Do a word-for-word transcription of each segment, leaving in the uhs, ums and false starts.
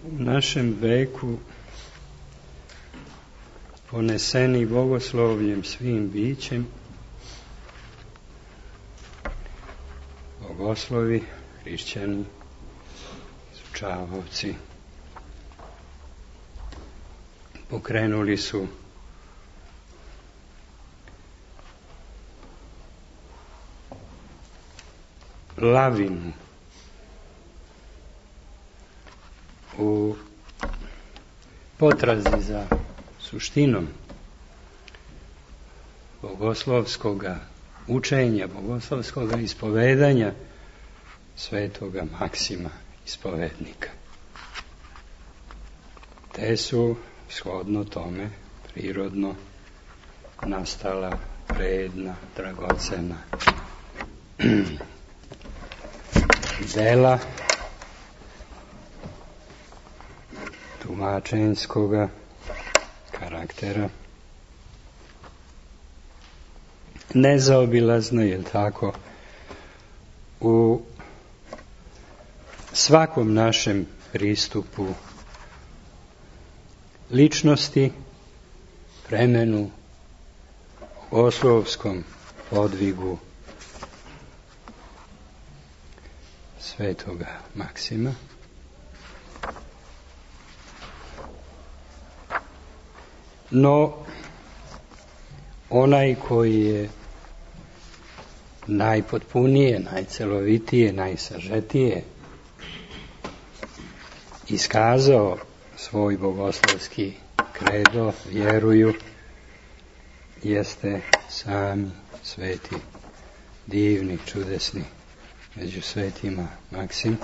U našem veku poneseni bogoslovljem svim bićem, bogoslovi, hrišćani, izučavaoci, pokrenuli su lavinu u potrazi za suštinom bogoslovskoga učenja, bogoslovskoga ispovedanja svetoga Maksima ispovednika. Te su shodno tome prirodno nastala vredna, dragocena dela tumačenskoga karaktera. Nezaobilazno je tako u svakom našem pristupu ličnosti, vremenu, bogoslovskom podvigu svetoga Maksima. No, onaj koji je najpotpunije, najcelovitije, najsažetije iskazao svoj bogoslovski kredo, vjeruju, jeste sami sveti, divni, čudesni, među svetima Maksim.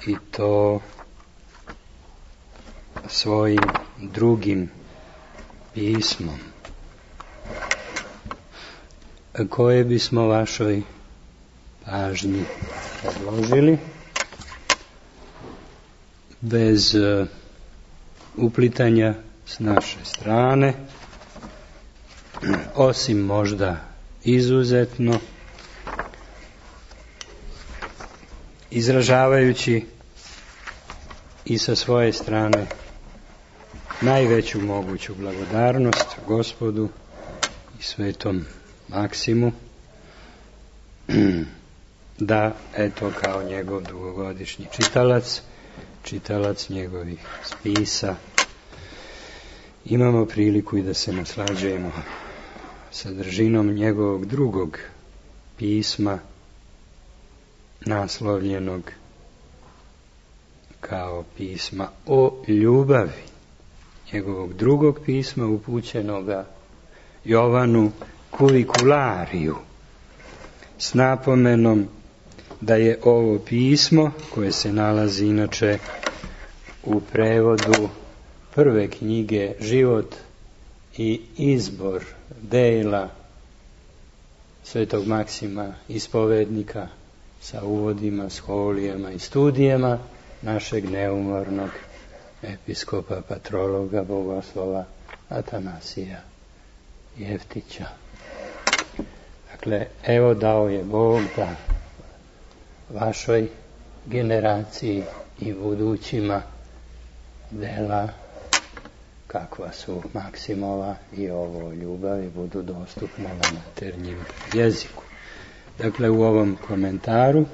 I to svojim drugim pismom, koje bismo vašoj pažnji predložili bez uh, uplitanja s naše strane, osim možda izuzetno izražavajući i sa svoje strane najveću moguću blagodarnost Gospodu i svetom Maksimu, da, eto, kao njegov dugogodišnji čitalac, čitalac njegovih spisa, imamo priliku i da se naslađujemo sadržinom njegovog drugog pisma, naslovljenog kao pisma o ljubavi, njegovog drugog pisma upućenoga Jovanu Kuviculariju, s napomenom da je ovo pismo, koje se nalazi inače u prevodu prve knjige Život i izbor dela svetog Maksima ispovednika, sa uvodima, scholijama i studijama našeg neumornog episkopa, patrologa, bogoslova Atanasija Jeftića. Dakle, evo dao je Bog da vašoj generaciji i budućima dela kakva su Maksimova i ovo ljubavi budu dostupne na maternjem jeziku. Dakle, u ovom komentaru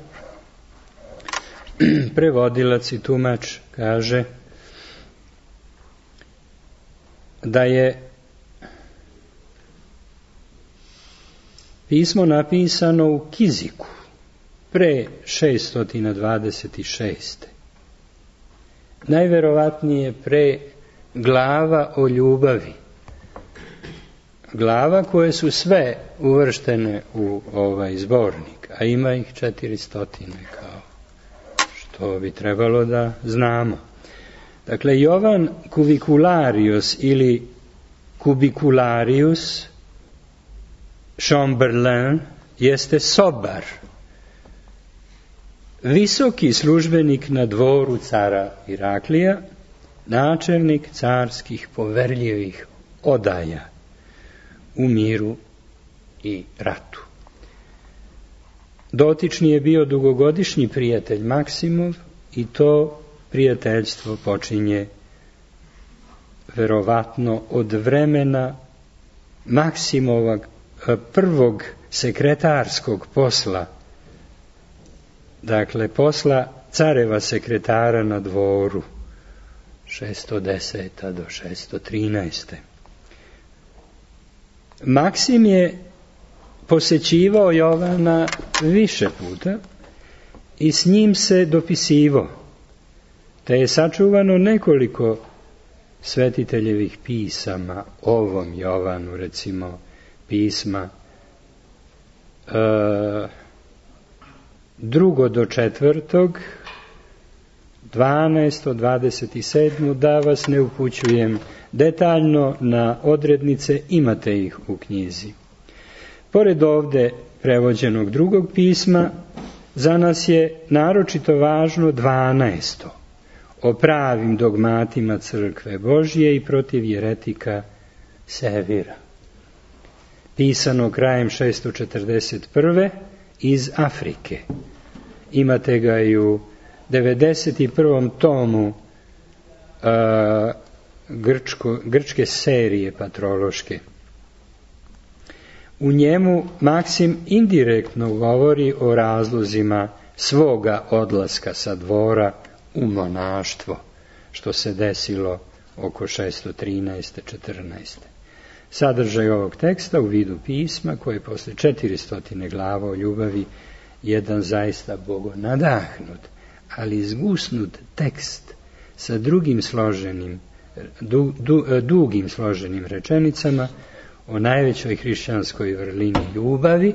prevodilac i tumač kaže da je pismo napisano u Kiziku pre šeststo dvadeset šeste. Najverovatnije pre glava o ljubavi. Glava koje su sve uvrštene u ovaj zbornik, a ima ih četiristotine, kao što bi trebalo da znamo. Dakle, Jovan Kuvicularius ili Kubicularius Chamberlain jeste sobar, visoki službenik na dvoru cara Iraklija, načelnik carskih poverljivih odaja u miru i ratu. Dotični je bio dugogodišnji prijatelj Maksimov i to prijateljstvo počinje verovatno od vremena Maksimovog prvog sekretarskog posla, dakle posla careva sekretara na dvoru, šesto deseta do šesto trinaeste. Maksim je posećivao Jovana više puta i s njim se dopisivao, te je sačuvano nekoliko svetiteljevih pisama, ovom Jovanu, recimo pisma e, drugo do četvrtog, dvanaesto, dvadeset sedam, da vas ne upućujem detaljno na odrednice, imate ih u knjizi. Pored ovde prevođenog drugog pisma, za nas je naročito važno dvanaesto, o pravim dogmatima crkve Božje i protiv jeretika Sevira, pisano krajem šesto četrdeset prve iz Afrike. Imate ga i u devedeset prvom tomu a, grčko, grčke serije patrološke. U njemu Maksim indirektno govori o razlozima svoga odlaska sa dvora u monaštvo, što se desilo oko šesto trinaeste četrnaeste. Sadržaj ovog teksta u vidu pisma, koje posle četiristo glava o ljubavi, jedan zaista bogonadahnut, ali izgusnut tekst sa drugim složenim, du, du, dugim složenim rečenicama o najvećoj hrišćanskoj vrlini ljubavi,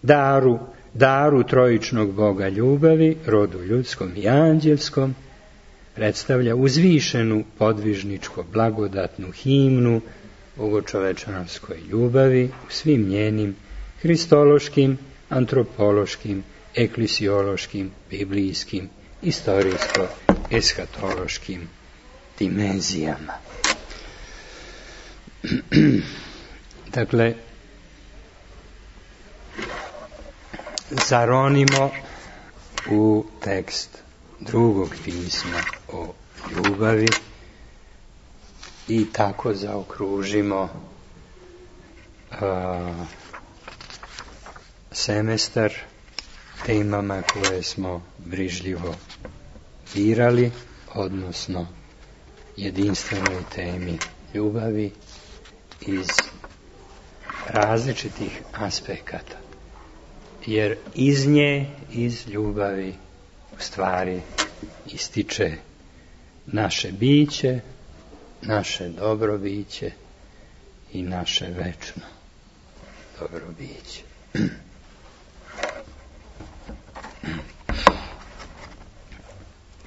daru, daru trojičnog Boga ljubavi, rodu ljudskom i anđelskom, predstavlja uzvišenu podvižničko blagodatnu himnu bogočovečanskoj ljubavi u svim njenim hristološkim, antropološkim, eklisiološkim, biblijskim, istorijsko-eskatološkim dimenzijama. Dakle, zaronimo u tekst drugog pisma o ljubavi i tako zaokružimo a, semestar temama koje smo brižljivo birali, odnosno jedinstvenoj temi ljubavi iz različitih aspekata, jer iz nje, iz ljubavi, u stvari ističe naše biće, naše dobro biće i naše večno dobro biće.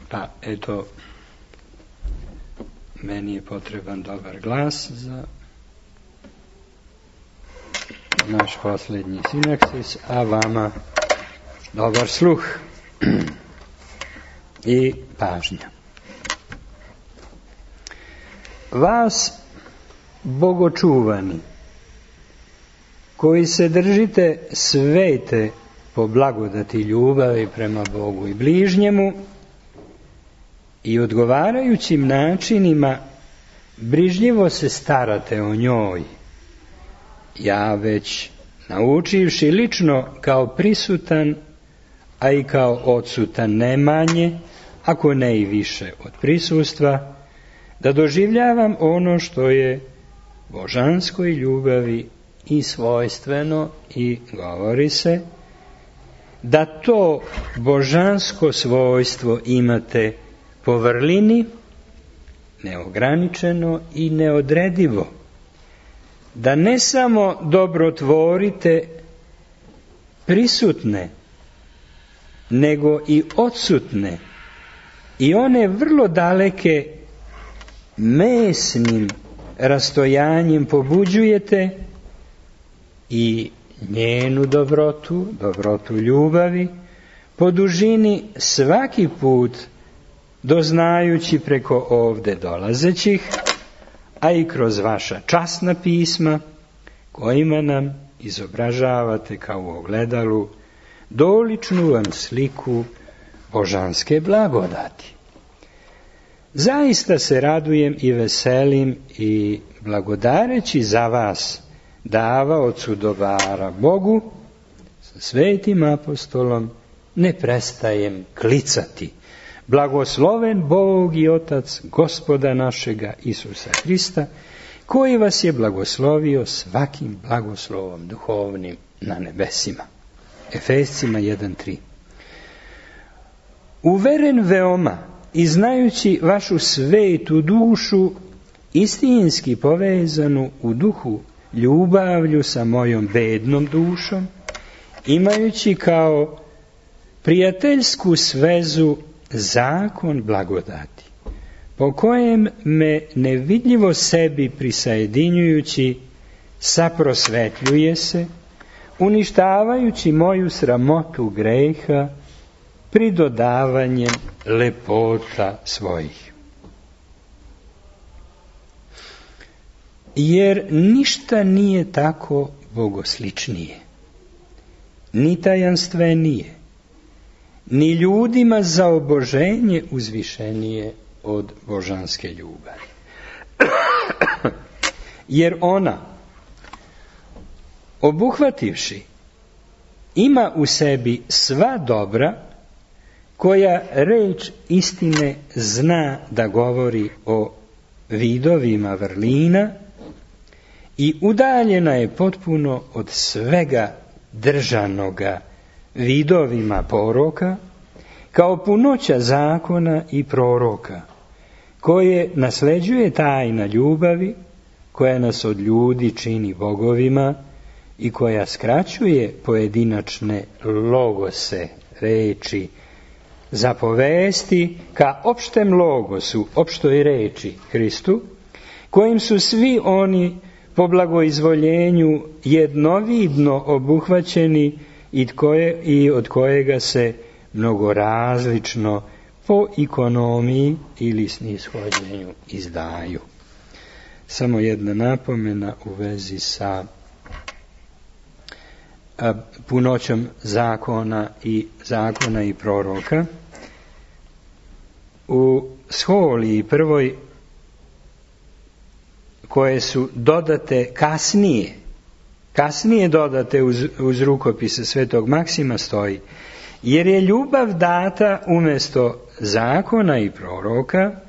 Pa, eto, meni je potreban dobar glas za naš posljednji sinaksis, a vama dobar sluh i pažnja. Vas, bogočuvani, koji se držite svete po blagodati ljubavi prema Bogu i bližnjemu i odgovarajućim načinima brižljivo se starate o njoj, ja već naučivši lično kao prisutan, a i kao odsutan ne manje, ako ne i više od prisustva, da doživljavam ono što je božanskoj ljubavi i svojstveno, i govori se da to božansko svojstvo imate po vrlini, neograničeno i neodredivo, da ne samo dobrotvorite prisutne, nego i odsutne, i one vrlo daleke mesnim rastojanjem pobuđujete i njenu dobrotu, dobrotu ljubavi, po dužini svaki put doznajući preko ovde dolazećih, a i kroz vaša časna pisma, kojima nam izobražavate kao u ogledalu doličnu vam sliku božanske blagodati. Zaista se radujem i veselim i blagodareći za vas davaocu dobara Bogu, sa svetim apostolom ne prestajem klicati. Blagosloven Bog i Otac Gospoda našega Isusa Hrista, koji vas je blagoslovio svakim blagoslovom duhovnim na nebesima. Efescima jedan tri. Uveren veoma i znajući vašu svetu dušu, istinski povezanu u duhu ljubavlju sa mojom bednom dušom, imajući kao prijateljsku svezu zakon blagodati, po kojem me nevidljivo sebi prisajedinjujući saprosvetljuje se, uništavajući moju sramotu greha pridodavanjem lepota svojih. Jer ništa nije tako bogosličnije, ni tajanstvenije, ni ljudima za oboženje uzvišenije od božanske ljubavi. Jer ona, obuhvativši, ima u sebi sva dobra koja reč istine zna da govori o vidovima vrlina i udaljena je potpuno od svega držanoga vidovima poroka, kao punoća zakona i proroka, koje nasleđuje tajna ljubavi, koja nas od ljudi čini bogovima i koja skraćuje pojedinačne logose reči zapovesti ka opštem logosu, opštoj reči Hristu, kojim su svi oni po blagoizvoljenju jednovidno obuhvaćeni i, koje, i od kojega se mnogo različno po ekonomiji ili snishođenju izdaju. Samo jedna napomena u vezi sa a, punoćom zakona i zakona i proroka. U Scholiji prvoj, koje su dodate kasnije, kasnije dodate uz, uz rukopise svetog Maksima stoji, jer je ljubav data umjesto zakona i proroka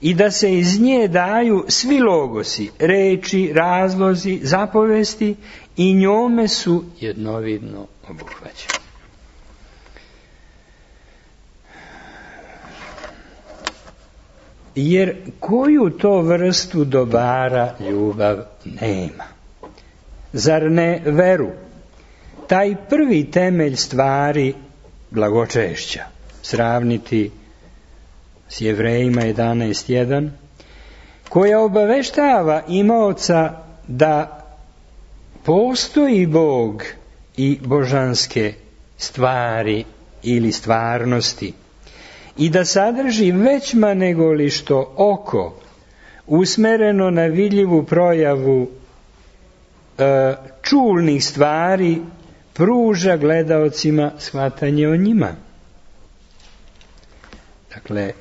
i da se iz nje daju svi logosi, reči, razlozi, zapovesti i njome su jednovidno obuhvaćeni. Jer koju to vrstu dobara ljubav nema? Zar ne veru? Taj prvi temelj stvari blagočešća, sravniti s Jevrejima jedanaest jedan, koja obaveštava imaoca da postoji Bog i božanske stvari ili stvarnosti i da sadrži većma nego li što oko usmereno na vidljivu projavu e, čulnih stvari pruža gledaocima shvatanje o njima. Dakle,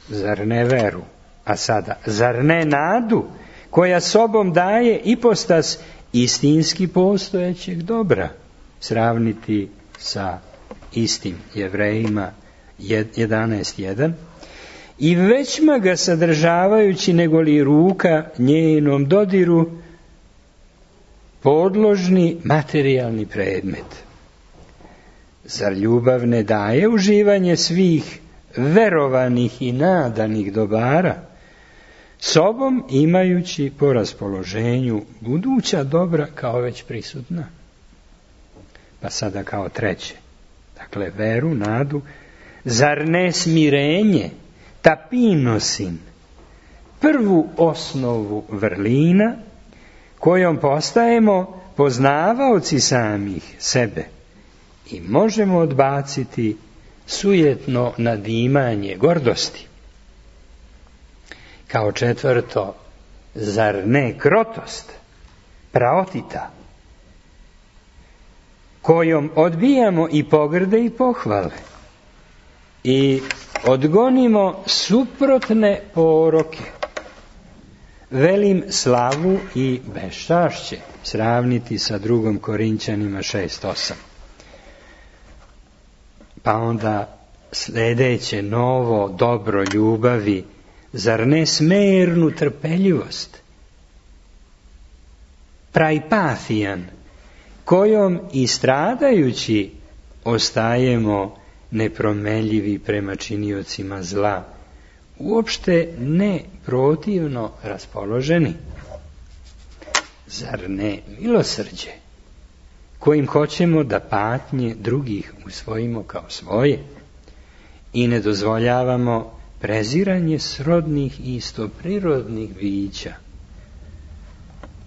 zar ne veru, a sada, zar ne nadu, koja sobom daje ipostas istinski postojećeg dobra, sravniti sa istim Jevrejima jedanaest jedan, i većma ga sadržavajući nego li ruka njenom dodiru podložni materijalni predmet. Zar ljubav ne daje uživanje svih verovanih i nadanih dobara, sobom imajući po raspoloženju buduća dobra kao već prisutna? Pa sada kao treće, dakle veru, nadu, zar ne smirenje, tapinosin, prvu osnovu vrlina, kojom postajemo poznavaoci samih sebe i možemo odbaciti sujetno nadimanje gordosti. Kao četvrto, zar ne krotost, praotita, kojom odbijamo i pogrde i pohvale, i odgonimo suprotne poroke. Velim slavu i beščašće sravniti sa drugom Korinćanima šest osam. Pa onda sljedeće novo dobro ljubavi, zar ne smernu trpeljivost? Praipathijan, kojom i stradajući ostajemo nepromenljivi prema činiocima zla, uopšte ne protivno raspoloženi. Zar ne milosrđe, kojim hoćemo da patnje drugih usvojimo kao svoje i ne dozvoljavamo preziranje srodnih i istoprirodnih bića?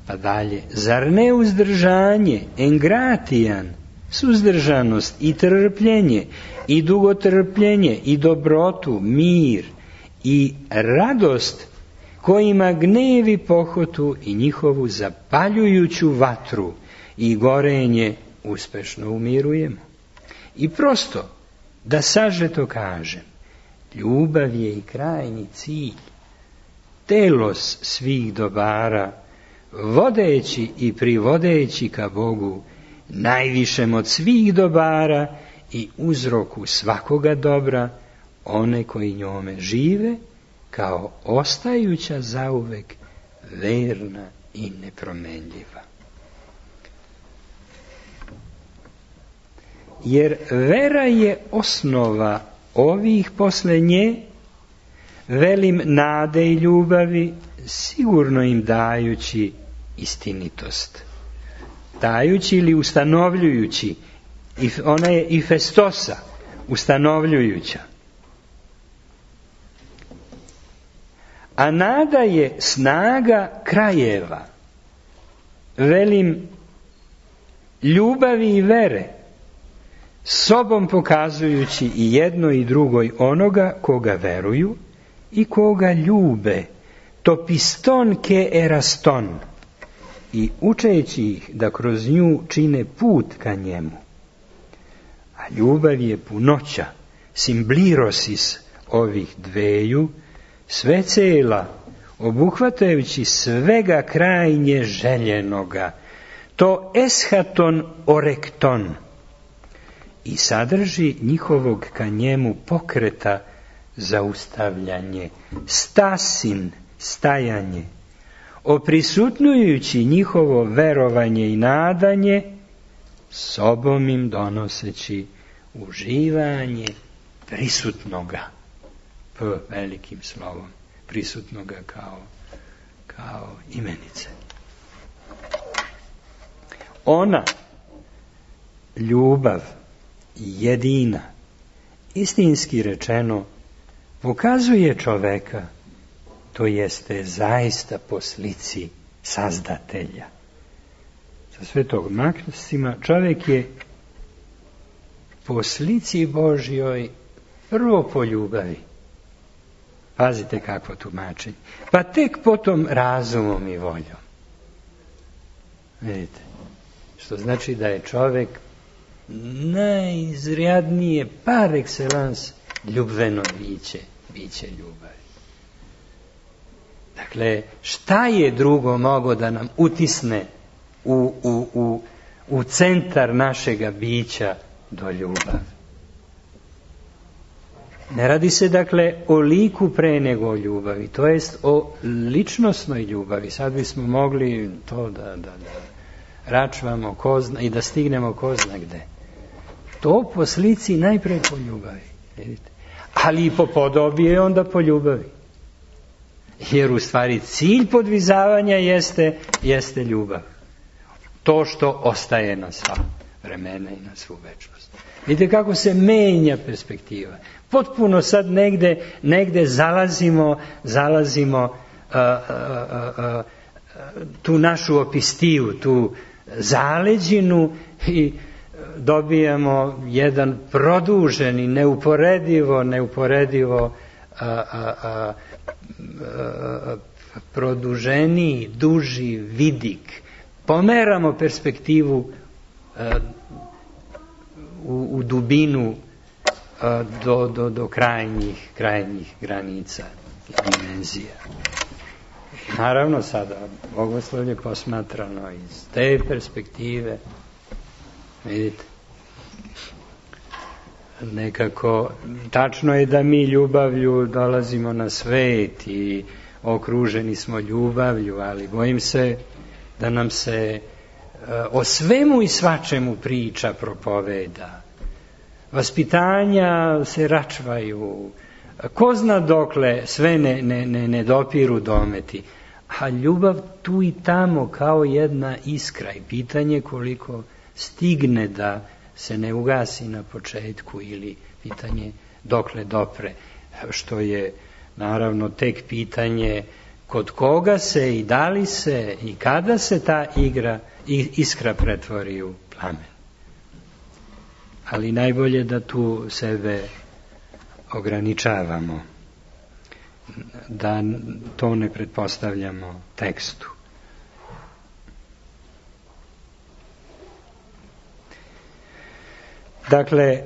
Pa dalje, zar ne uzdržanje, engratijan, suzdržanost i trpljenje i dugotrpljenje i dobrotu, mir i radost, kojima gnevi pohotu i njihovu zapaljujuću vatru i gorenje uspešno umirujemo? I prosto, da sažeto kažem, ljubav je i krajnji cilj, telos svih dobara, vodeći i privodeći ka Bogu, najvišem od svih dobara i uzroku svakoga dobra, one koji njome žive, kao ostajuća zauvek verna i nepromenljiva. Jer vera je osnova ovih posle nje, velim nade i ljubavi, sigurno im dajući istinitost. Dajući ili ustanovljujući, ona je i festosa, ustanovljujuća. A nada je snaga krajeva, velim ljubavi i vere, sobom pokazujući i jedno i drugoj onoga koga veruju i koga ljube, to piston ke eraston, i učeći ih da kroz nju čine put ka njemu. A ljubav je punoća, simblirosis ovih dveju, sve cela, obuhvatajući svega krajnje željenoga, to eschaton orekton, i sadrži njihovog ka njemu pokreta zaustavljanje, stasin, stajanje, oprisutnujući njihovo verovanje i nadanje, sobom im donoseći uživanje prisutnoga, p velikim slovom, prisutnoga kao, kao imenice. Ona, ljubav, jedina, istinski rečeno, pokazuje čoveka, to jeste zaista po slici Sazdatelja. Sa Svetog Maksima čovjek je po slici Božjoj prvo po ljubavi. Pazite kakvo tumačenje. Pa tek potom razumom i voljom. Vidite, što znači da je čovjek najizrjadnije par excellence ljubveno biće, biće ljubavi. Dakle, šta je drugo mogo da nam utisne u, u, u, u centar našega bića do ljubavi? Ne radi se dakle o liku pre nego o ljubavi, to jest o ličnosnoj ljubavi. Sad bismo mogli to da, da, da račvamo ko zna, i da stignemo ko zna gde. To po slici najpre po ljubavi, vidite. Ali i po podobi je onda po ljubavi. Jer u stvari cilj podvizavanja jeste, jeste ljubav. To što ostaje na sva vremena i na svu večnost. Vidite kako se menja perspektiva. Potpuno sad negde, negde zalazimo, zalazimo uh, uh, uh, uh, tu našu opistiju, tu zaleđinu i dobijamo jedan produženi, neuporedivo, neuporedivo a, a, a, a, produženiji, duži vidik. Pomeramo perspektivu a, u, u dubinu do, do, do krajnjih, krajnjih granica i dimenzija. Naravno sada bogoslovlje posmatrano iz te perspektive, vidite, nekako tačno je da mi ljubavlju dolazimo na svet i okruženi smo ljubavlju, ali bojim se da nam se o svemu i svačemu priča, propoveda. Vaspitanja se račvaju, ko zna dokle sve ne, ne, ne, ne dopiru dometi, a ljubav tu i tamo kao jedna iskra i pitanje koliko stigne da se ne ugasi na početku ili pitanje dokle dopre, što je naravno tek pitanje kod koga se i da li se i kada se ta igra i iskra pretvori u plamen. Ali najbolje da tu sebe ograničavamo, da to ne pretpostavljamo tekstu. Dakle,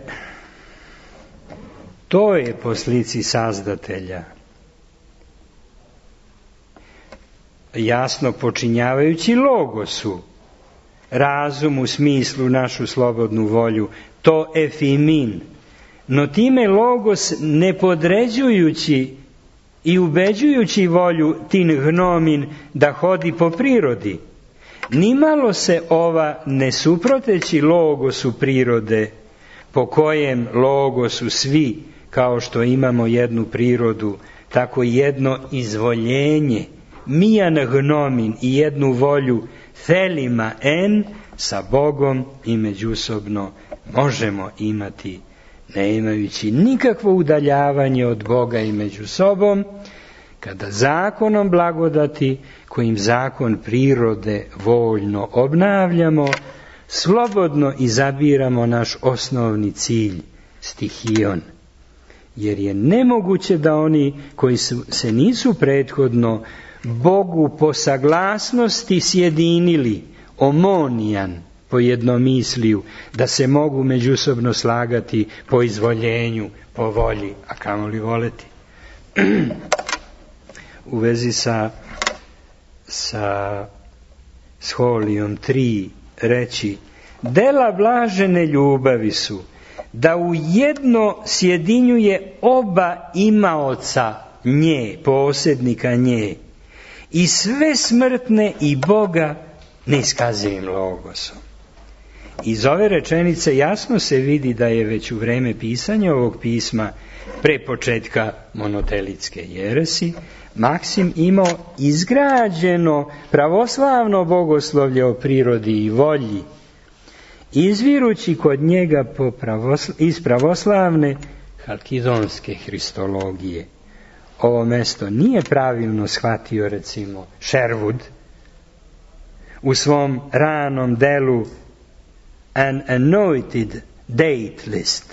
to je po slici Sazdatelja, jasno počinjavajući logosu, razum u smislu našu slobodnu volju, to efimin, no time logos ne podređujući i ubeđujući volju tin gnomin da hodi po prirodi, nimalo se ova ne suproteći logosu prirode, po kojem logosu svi, kao što imamo jednu prirodu, tako jedno izvoljenje, mijan gnomin i jednu volju thelima en, sa Bogom i međusobno možemo imati, ne imajući nikakvo udaljavanje od Boga i među sobom, kada zakonom blagodati, kojim zakon prirode voljno obnavljamo, slobodno izabiramo naš osnovni cilj, stihion, jer je nemoguće da oni koji su, se nisu prethodno Bogu po saglasnosti sjedinili, omonijan, po jednomisliju, da se mogu međusobno slagati po izvoljenju, po volji, a kamoli voleti. U vezi sa, sa scholijom tri reći, dela blažene ljubavi su da u jedno sjedinjuje oba imaoca nje, posjednika nje, i sve smrtne i Boga neiskazivim logosom. Iz ove rečenice jasno se vidi da je već u vreme pisanja ovog pisma, pre početka monotelitske jeresi, Maksim imao izgrađeno pravoslavno bogoslovlje o prirodi i volji, izvirući kod njega po pravosla, iz pravoslavne halkidonske hristologije. Ovo mesto nije pravilno shvatio, recimo, Sherwood u svom ranom delu An Anointed Date List,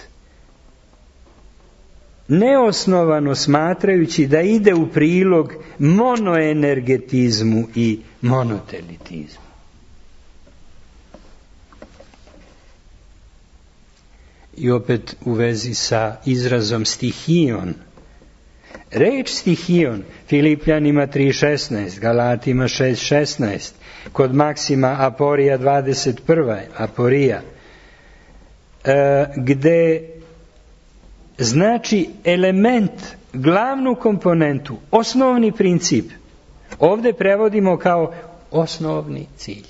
neosnovano smatrajući da ide u prilog monoenergetizmu i monotelitizmu. I opet u vezi sa izrazom stihion. Reč stihion Filipljanima tri šesnaest, Galatima šest šesnaest, kod Maksima Aporija dvadeset prva, Aporija, e, gde znači element, glavnu komponentu, osnovni princip, ovdje prevodimo kao osnovni cilj.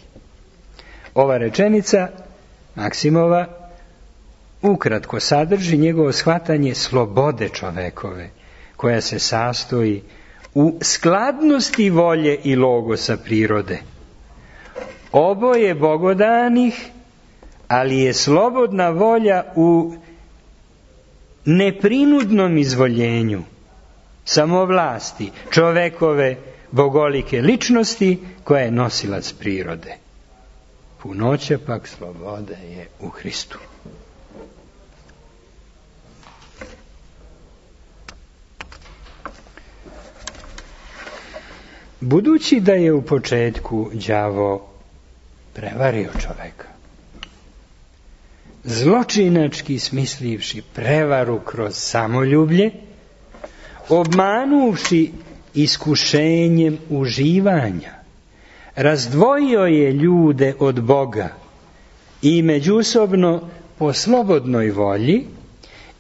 Ova rečenica Maksimova ukratko sadrži njegovo shvatanje slobode čovekove, koja se sastoji u skladnosti volje i logosa prirode. Oboje bogodanih, ali je slobodna volja u neprinudnom izvoljenju, samovlasti čovekove bogolike ličnosti koja je nosilac prirode. Punoća pak slobode je u Hristu. Budući da je u početku đavo prevario čoveka, zločinački smislivši prevaru kroz samoljublje, obmanuvši iskušenjem uživanja, razdvojio je ljude od Boga i međusobno po slobodnoj volji,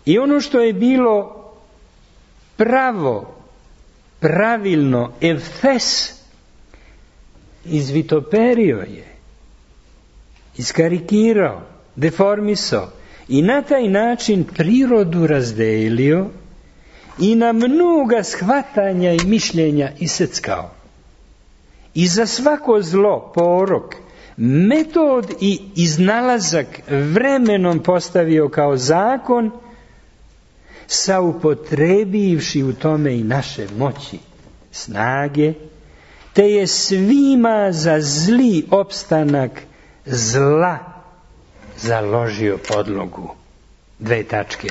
i ono što je bilo pravo, pravilno, evfes, izvitoperio je, iskarikirao, deformisao i na taj način prirodu razdelio i na mnoga shvatanja i mišljenja iseckao. I za svako zlo, porok, metod i iznalazak vremenom postavio kao zakon, saupotrebivši u tome i naše moći, snage, te je svima za zli opstanak zla založio podlogu. Dve tačke.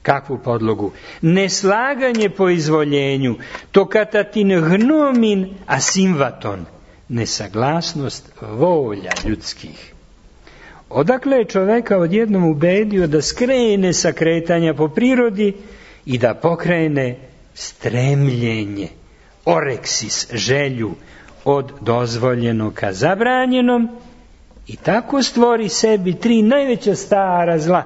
Kakvu podlogu? Neslaganje po izvoljenju, to katatin gnomin asimvaton, nesaglasnost volja ljudskih. Odakle je čoveka odjednom ubedio da skrene sa kretanja po prirodi i da pokrene stremljenje, oreksis, želju od dozvoljenog ka zabranjenom i tako stvori sebi tri najveća stara zla,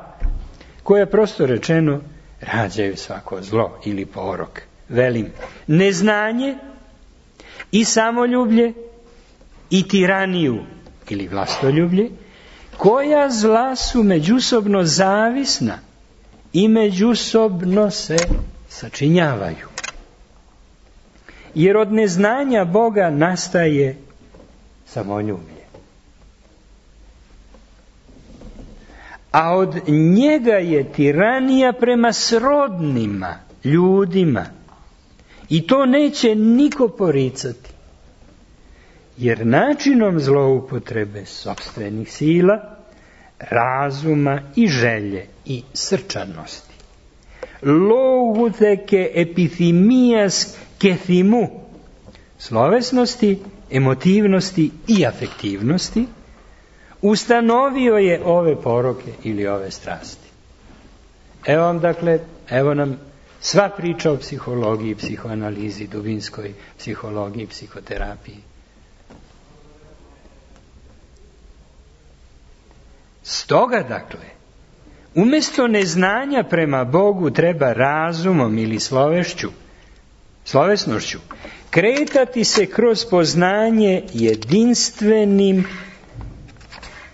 koja prosto rečeno rađaju svako zlo ili porok. Velim, neznanje i samoljublje i tiraniju ili vlastoljublje, koja zla su međusobno zavisna i međusobno se sačinjavaju. Jer od neznanja Boga nastaje samoljublje. A od njega je tiranija prema srodnima, ljudima. I to neće niko poricati. Jer načinom zloupotrebe sopstvenih sila, razuma i želje i srčanosti, louguteke epithimijas kethimu, slovesnosti, emotivnosti i afektivnosti, ustanovio je ove poroke ili ove strasti. Evo vam dakle, evo nam sva priča o psihologiji, psihoanalizi, dubinskoj psihologiji, psihoterapiji. Stoga dakle, umjesto neznanja prema Bogu treba razumom ili slovešću, slovesnošću, kretati se kroz poznanje jedinstvenim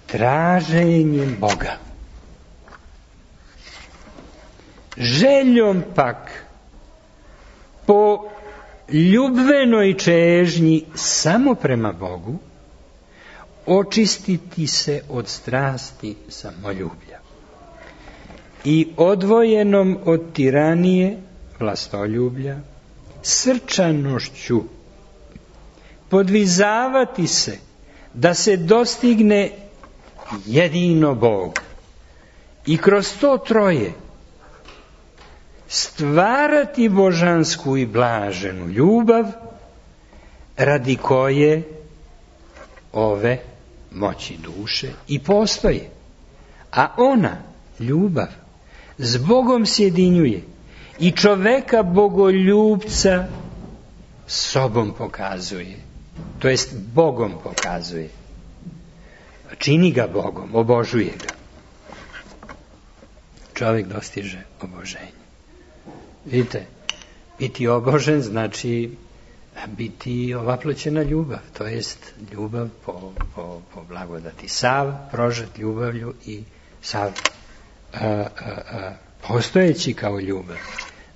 traženjem Boga. Željom pak po ljubvenoj čežnji samo prema Bogu, očistiti se od strasti samoljublja i odvojenom od tiranije, vlastoljublja, srčanošću podvizavati se da se dostigne jedino Bog i kroz to troje stvarati božansku i blaženu ljubav radi koje ove moći duše i postoje. A ona, ljubav, s Bogom sjedinjuje i čoveka bogoljubca sobom pokazuje. To jest Bogom pokazuje. Čini ga Bogom, obožuje ga. Čovjek dostiže oboženje. Vidite, biti obožen znači biti ovaploćena ljubav, to jest ljubav po, po, po blagodati. Sav prožet ljubavlju i sav a, a, a, postojeći kao ljubav.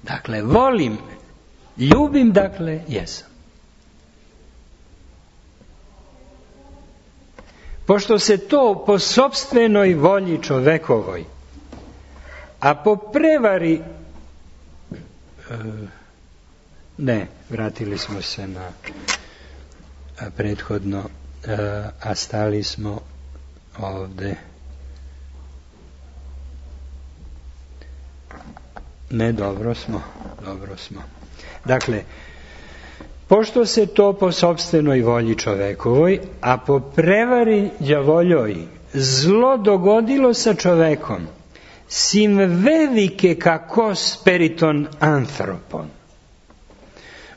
Dakle, volim, ljubim, dakle, jesam. Pošto se to po sopstvenoj volji čovekovoj, a po prevari, e, ne, vratili smo se na a, prethodno, a, a stali smo ovde. Ne, dobro smo, dobro smo. Dakle, pošto se to po sopstvenoj volji čovekovoj, a po prevari đavoljoj zlo dogodilo sa čovekom, sim velike kakos periton anthropon.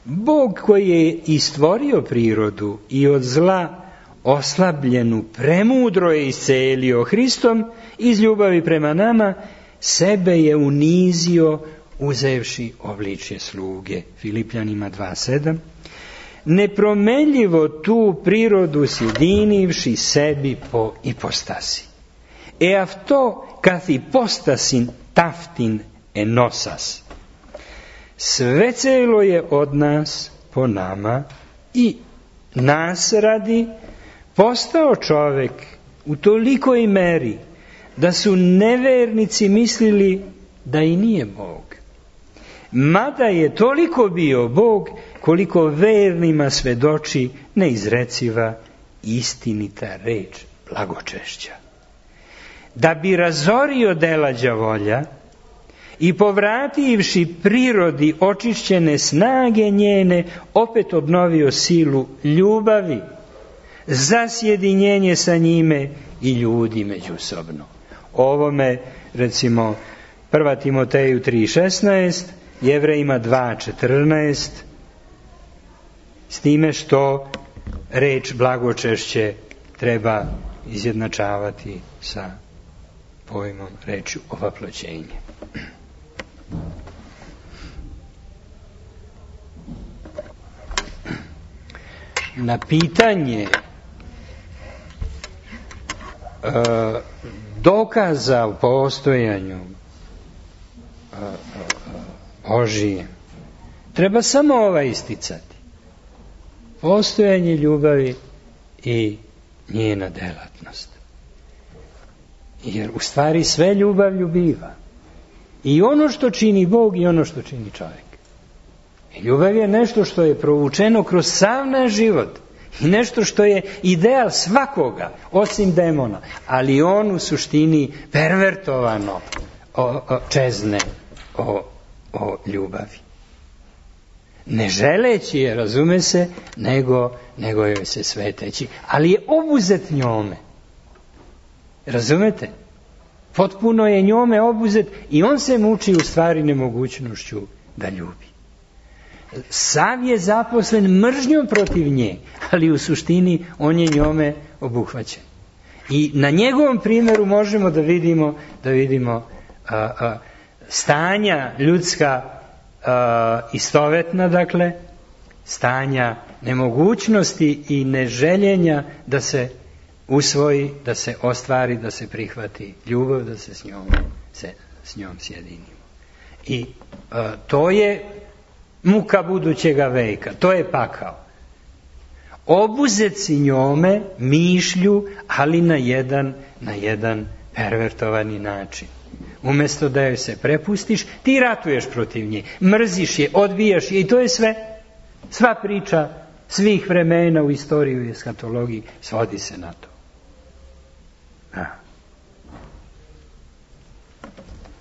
Bog koji je i stvorio prirodu i od zla oslabljenu premudro je iscelio Hristom iz ljubavi prema nama, sebe je unizio uzevši obličje sluge. Filipljanima dva sedam. Nepromenljivo tu prirodu sjedinivši sebi po ipostasi. E αυτό καθ' υπόστασιν ταύτην ενώσας. Sve celo je od nas po nama i nas radi postao čovek u tolikoj meri da su nevernici mislili da i nije Bog. Mada je toliko bio Bog koliko vernima svedoči neizreciva istinita reč blagočešća. Da bi razorio dela đavolja i povrativši prirodi očišćene snage njene, opet obnovio silu ljubavi za sjedinjenje sa njime i ljudi međusobno. Ovome, recimo, prva Timoteju tri šesnaest, Jevrejima dva četrnaest, s time što reč blagočešće treba izjednačavati sa pojmom rečju ovaploćenje. Na pitanje e, dokaza o postojanju e, e, Božije treba samo ova isticati: postojanje ljubavi i njena delatnost. Jer u stvari sve ljubav ljubiva. I ono što čini Bog i ono što čini čovjek. I ljubav je nešto što je provučeno kroz sav naš život. I nešto što je ideal svakoga, osim demona. Ali on u suštini pervertovano o, o, čezne o, o ljubavi. Ne želeći je, razume se, nego, nego joj se sveteći. Ali je obuzet njome. Razumete? Potpuno je njome obuzet i on se muči u stvari nemogućnošću da ljubi. Sav je zaposlen mržnjom protiv nje, ali u suštini on je njome obuhvaćen. I na njegovom primjeru možemo da vidimo, da vidimo a, a, stanja ljudska a, istovetna, dakle, stanja nemogućnosti i neželjenja da se usvoji, da se ostvari, da se prihvati ljubav, da se s njom, se, s njom sjedinimo. I a, to je muka budućega veka, to je pakao. Obuzet si njome mišlju, ali na jedan, na jedan pervertovani način. Umjesto da joj se prepustiš, ti ratuješ protiv nje, mrziš je, odbijaš je i to je sve. Sva priča svih vremena u istoriji i eskatologiji svodi se na to. A.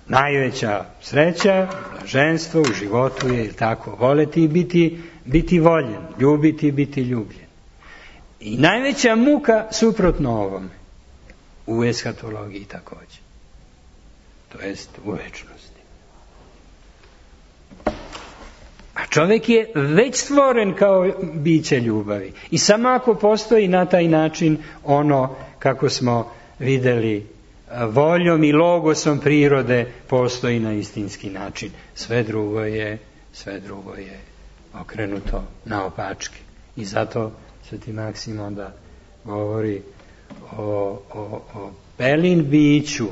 Najveća sreća, blaženstvo u životu je tako, voleti i biti, biti voljen, ljubiti i biti ljubljen. I najveća muka suprotno ovome, u eskatologiji također, to jest u večnosti. A čovjek je već stvoren kao biće ljubavi i samo ako postoji na taj način ono kako smo vidjeli voljom i logosom prirode postoji na istinski način. Sve drugo je, sve drugo je okrenuto naopačke. I zato Sveti Maksim onda govori o, o, o pelin biću,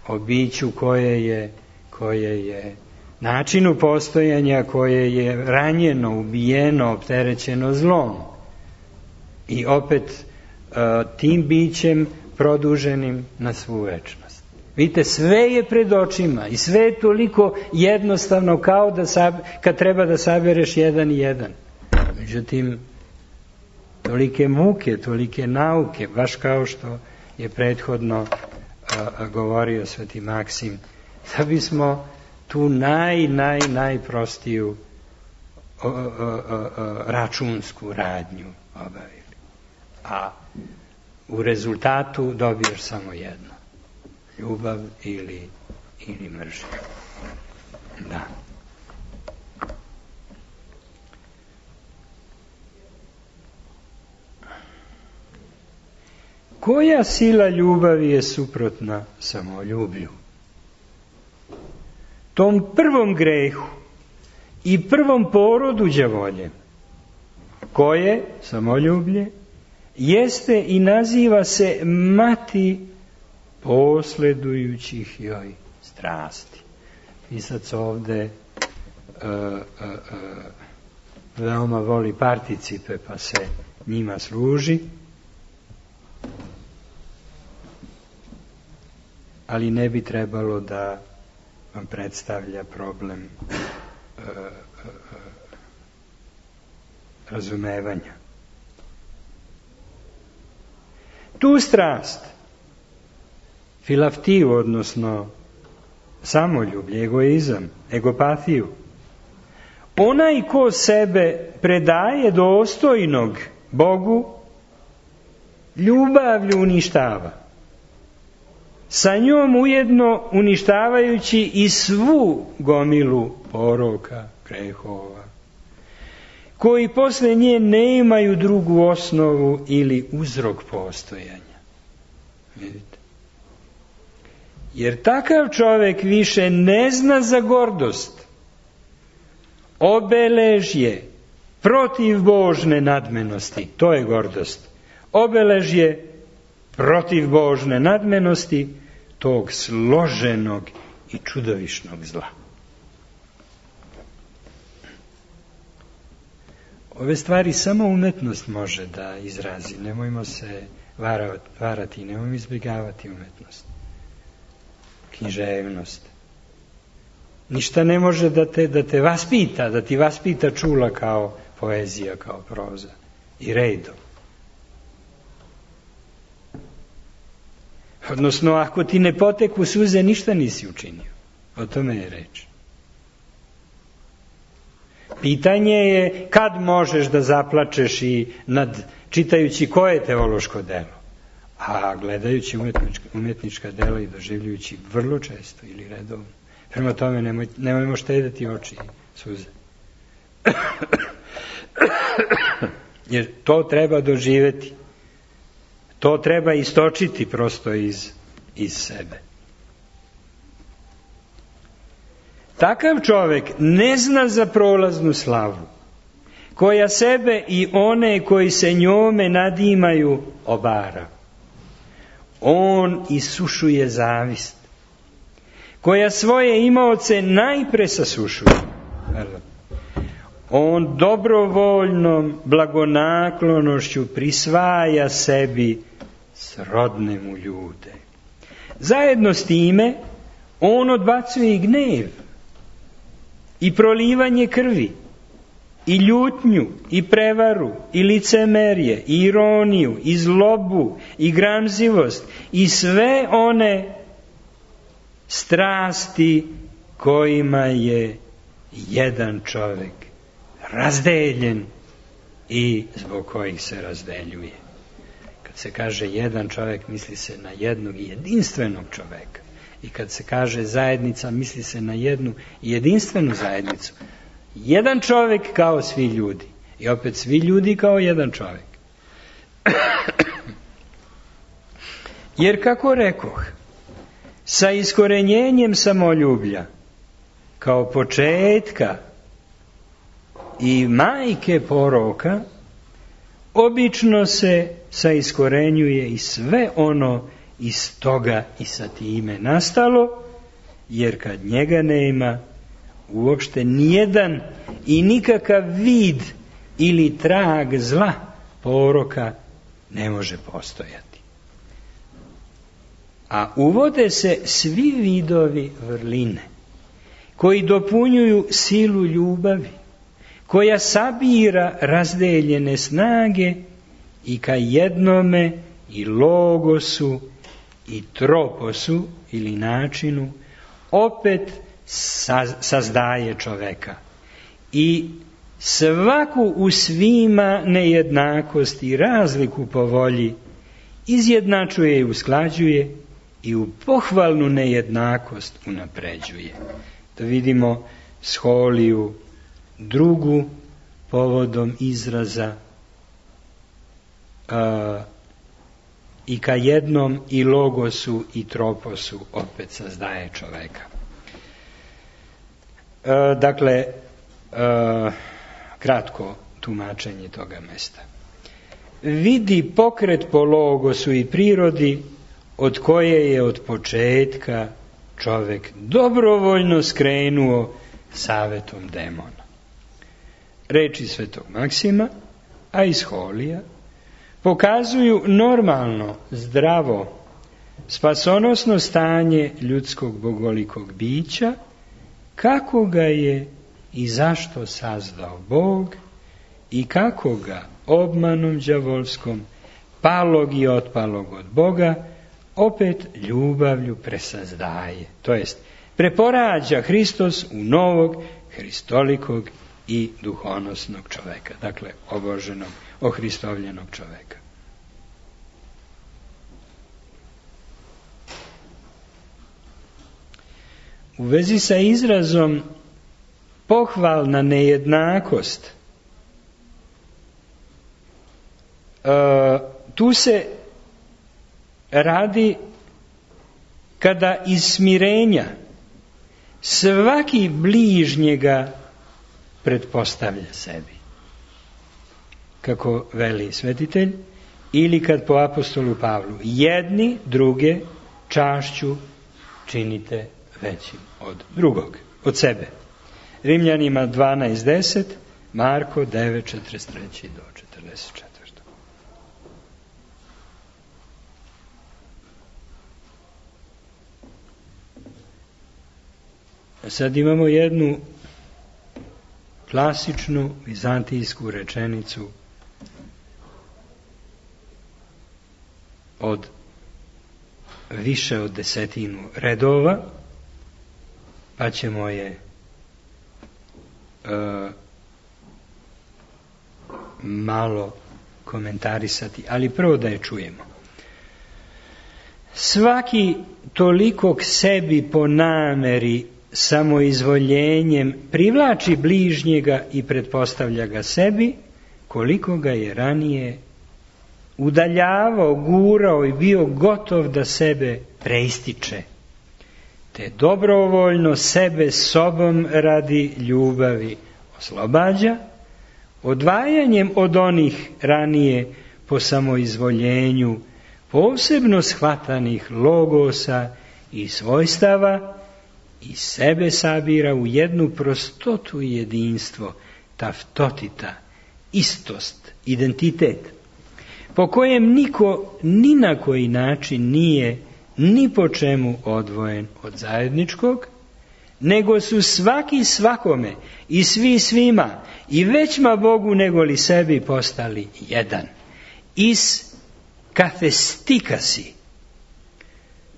o biću koje je, koje je načinu postojanja, koje je ranjeno, ubijeno, opterećeno zlom. I opet tim bićem produženim na svu večnost. Vidite, sve je pred očima i sve je toliko jednostavno kao da sab, kad treba da sabereš jedan i jedan. Međutim, tolike muke, tolike nauke, baš kao što je prethodno a, a, govorio Sveti Maksim, da bismo tu naj, naj, najprostiju a, a, a, a, računsku radnju obavili. A u rezultatu dobiješ samo jedno. Ljubav ili, ili mržnja. Da. Koja sila ljubavi je suprotna samoljublju? Tom prvom grehu i prvom porodu đavolje, koje, samoljublje, jeste i naziva se mati posledujućih joj strasti. Pisac ovde uh, uh, uh, veoma voli participe, pa se njima služi, ali ne bi trebalo da vam predstavlja problem uh, uh, uh, razumevanja. Tu strast, filaftiju, odnosno samoljublje, egoizam, egopatiju, onaj ko sebe predaje dostojnog Bogu, ljubavlju uništava. Sa njom ujedno uništavajući i svu gomilu poroka, grehova, koji posle nje nemaju drugu osnovu ili uzrok postojanja. Vidite? Jer takav čovjek više ne zna za gordost, obeležje protiv Božne nadmenosti, to je gordost, obeležje protiv Božne nadmenosti, tog složenog i čudovišnog zla. Ove stvari samo umetnost može da izrazi. Nemojmo se varati, nemojmo izbjegavati umetnost. Književnost. Ništa ne može da te, da te vaspita, da ti vaspita čula kao poezija, kao proza i redom. Odnosno, ako ti ne poteku suze, ništa nisi učinio. O tome je reč. Pitanje je kad možeš da zaplačeš i nad čitajući koje teološko delo, a gledajući umjetnička, umjetnička dela i doživljujući vrlo često ili redovno. Prema tome nemoj, nemojmo štediti oči i suze. Jer to treba doživjeti. To treba istočiti prosto iz, iz sebe. Takav čovjek ne zna za prolaznu slavu, koja sebe i one koji se njome nadimaju obara. On isušuje zavist, koja svoje imaoce najpre sasušuje. On dobrovoljnom blagonaklonošću prisvaja sebi srodne mu ljude. Zajedno s time on odbacuje i gnev, i prolivanje krvi, i ljutnju, i prevaru, i licemerje, i ironiju, i zlobu, i gramzivost, i sve one strasti kojima je jedan čovjek razdeljen i zbog kojih se razdeljuje. Kad se kaže jedan čovjek, misli se na jednog jedinstvenog čovjeka. I kad se kaže zajednica, misli se na jednu jedinstvenu zajednicu. Jedan čovjek kao svi ljudi. I opet svi ljudi kao jedan čovjek. Jer kako rekoh, sa iskorenjenjem samoljublja, kao početka i majke poroka, obično se saiskorenjuje i sve ono iz toga i sa time nastalo, jer kad njega nema, uopšte nijedan i nikakav vid ili trag zla poroka ne može postojati. A uvode se svi vidovi vrline, koji dopunjuju silu ljubavi, koja sabira razdeljene snage i ka jednome i logosu i troposu ili načinu opet sazdaje čoveka i svaku u svima nejednakost i razliku po volji izjednačuje i usklađuje i u pohvalnu nejednakost unapređuje. Da vidimo Scholiju drugu povodom izraza a, i ka jednom i logosu i troposu opet sazdaje čoveka. A, dakle, a, kratko tumačenje toga mesta. Vidi pokret po logosu i prirodi od koje je od početka čovek dobrovoljno skrenuo savetom demona. Reči svetog Maksima, a i Scholija, pokazuju normalno, zdravo, spasonosno stanje ljudskog bogolikog bića, kako ga je i zašto sazdao Bog i kako ga obmanom đavolskom, palog i otpalog od Boga, opet ljubavlju presazdaje, to jest preporađa Hristos u novog, hristolikog i duhonosnog čoveka, dakle oboženog, ohristovljenog čoveka. U vezi sa izrazom pohvalna nejednakost, uh, tu se radi kada iz smirenja svaki bližnjega pretpostavlja sebi, kako veli svetitelj, ili kad po apostolu Pavlu jedni druge čašću činite većim od drugog, od sebe. Rimljanima dvanaest deset, Marko devet četrdeset tri do četrdeset četiri. Sad imamo jednu klasičnu vizantijsku rečenicu od više od desetinu redova, pa ćemo je e, malo komentarisati, ali prvo da je čujemo. Svaki toliko k sebi po nameri samoizvoljenjem privlači bližnjega i pretpostavlja ga sebi, koliko ga je ranije udaljavao, gurao i bio gotov da sebe preističe, te dobrovoljno sebe sobom radi ljubavi oslobađa, odvajanjem od onih ranije po samoizvoljenju posebno shvatanih logosa i svojstava, i sebe sabira u jednu prostotu i jedinstvo, taftotita, istost, identitet, po kojem niko ni na koji način nije ni po čemu odvojen od zajedničkog, nego su svaki svakome i svi svima i većma Bogu nego li sebi postali jedan. Is kathestikasi,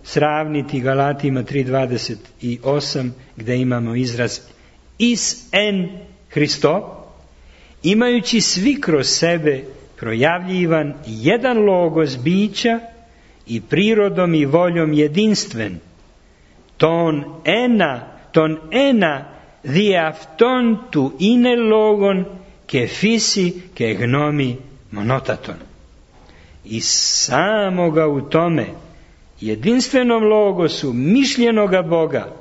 sravniti Galatima tri dvadeset osam, gdje imamo izraz is en Hristo, imajući svi kroz sebe projavljivan jedan logos bića i prirodom i voljom jedinstven, ton ena, ton ena diafton tu ine logon ke fisi ke gnomi monotaton. I samoga u tome jedinstvenom logosu mišljenoga Boga,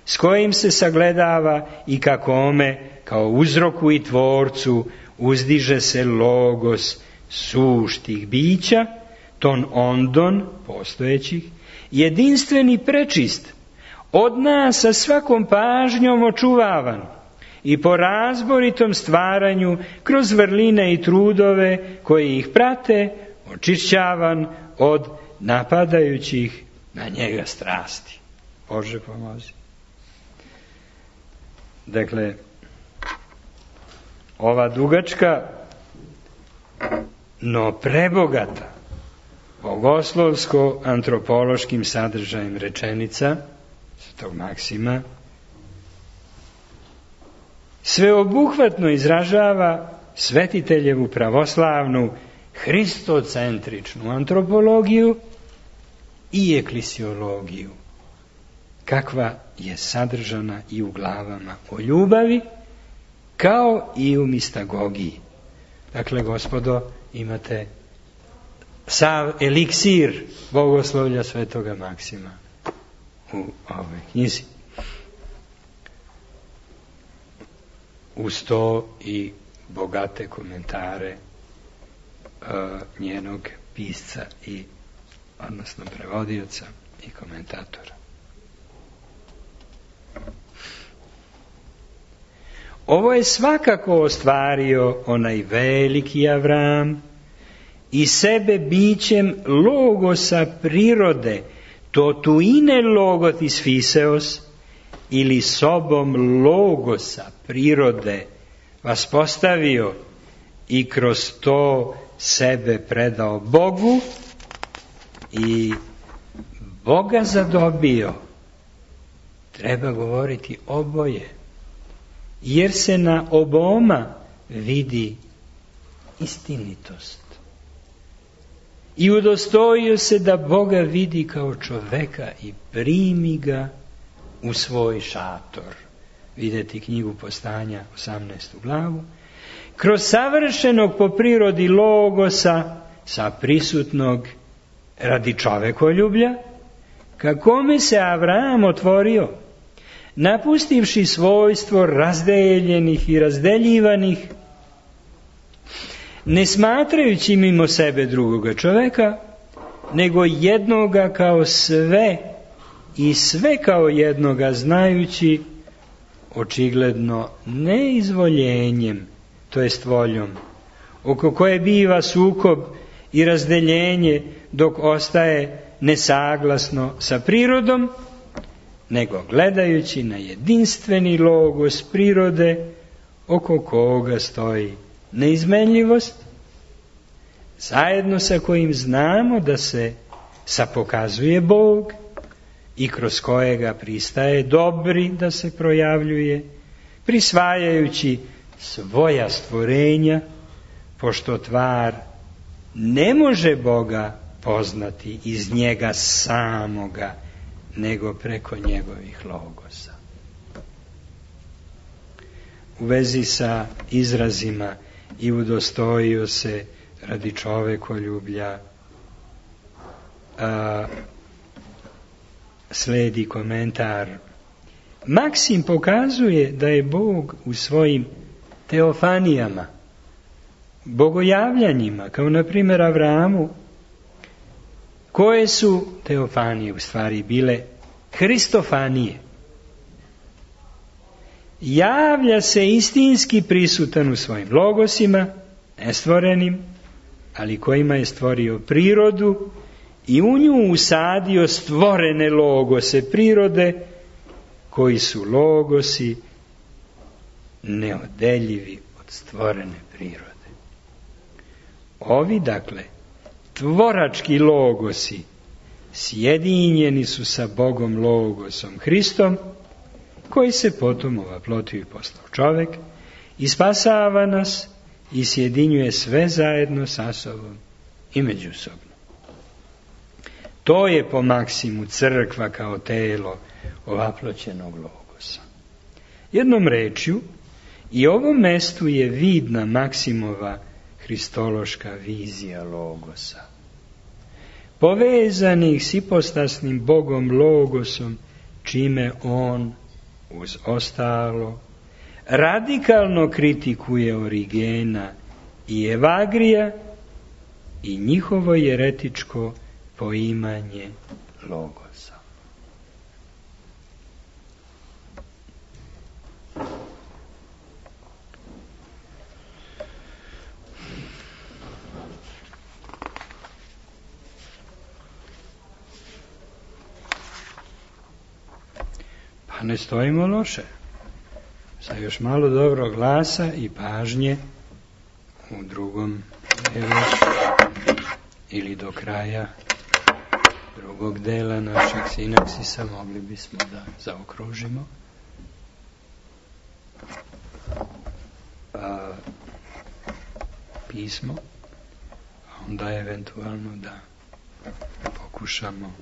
s kojim se sagledava i kako ome, kao uzroku i tvorcu, uzdiže se logos suštih bića, ton ondon, postojećih, jedinstveni prečist, od nas sa svakom pažnjom očuvavan i po razboritom stvaranju kroz vrline i trudove koji ih prate, očišćavan od napadajućih na njega strasti. Bože pomozi. Dakle, ova dugačka, no prebogata, bogoslovsko-antropološkim sadržajem rečenica svetog Maksima sveobuhvatno izražava svetiteljevu pravoslavnu hristocentričnu antropologiju i eklesiologiju, kakva je sadržana i u glavama o ljubavi, kao i u mistagogiji. Dakle, gospodo, imate sav eliksir bogoslovlja svetoga Maksima u ovoj knjizi. Uz to i bogate komentare uh, njenog pisca i odnosno prevodioca i komentatora. Ovo je svakako ostvario onaj veliki Avram i sebe bićem logosa prirode, totuine logotis fiseos, ili sobom logosa prirode vas postavio i kroz to sebe predao Bogu i Boga zadobio. Treba govoriti oboje, jer se na oboma vidi istinitost. I udostojio se da Boga vidi kao čoveka i primi ga u svoj šator. Vidjeti knjigu Postanja, osamnaestu glavu. Kroz savršenog po prirodi logosa, sa prisutnog radi čovekoljublja, ka kome se Avram otvorio, napustivši svojstvo razdeljenih i razdeljivanih, ne smatrajući mimo sebe drugoga čoveka, nego jednoga kao sve i sve kao jednoga znajući, očigledno neizvoljenjem, to jest voljom, oko koje biva sukob i razdeljenje dok ostaje nesaglasno sa prirodom, nego gledajući na jedinstveni logos prirode oko koga stoji neizmenljivost, zajedno sa kojim znamo da se sapokazuje Bog i kroz kojega pristaje dobri da se projavljuje, prisvajajući svoja stvorenja, pošto tvar ne može Boga poznati iz njega samoga, nego preko njegovih logosa. U vezi sa izrazima i udostojio se radi čovekoljublja, a, sledi komentar. Maksim pokazuje da je Bog u svojim teofanijama, bogojavljanjima, kao na primjer Avramu, koje su teofanije u stvari bile hristofanije. Javlja se istinski prisutan u svojim logosima, nestvorenim, ali kojima je stvorio prirodu i u nju usadio stvorene logose prirode, koji su logosi neodeljivi od stvorene prirode. Ovi, dakle, tvorački logosi sjedinjeni su sa Bogom logosom Hristom, koji se potom ovaplotio i postao čovek i spasava nas i sjedinjuje sve zajedno sa sobom i međusobno. To je po Maksimu crkva kao telo ovaploćenog logosa. Jednom rečju, i ovom mestu je vidna Maksimova hristološka vizija logosa, povezanih s ipostasnim Bogom logosom, čime on, uz ostalo, radikalno kritikuje Origena i Evagrija i njihovo jeretičko poimanje logosa. Pa ne stojimo loše. Sa još malo dobrog glasa i pažnje u drugom delu ili do kraja drugog dela našeg sinaksisa mogli bismo da zaokružimo. A, pismo, onda eventualno da pokušamo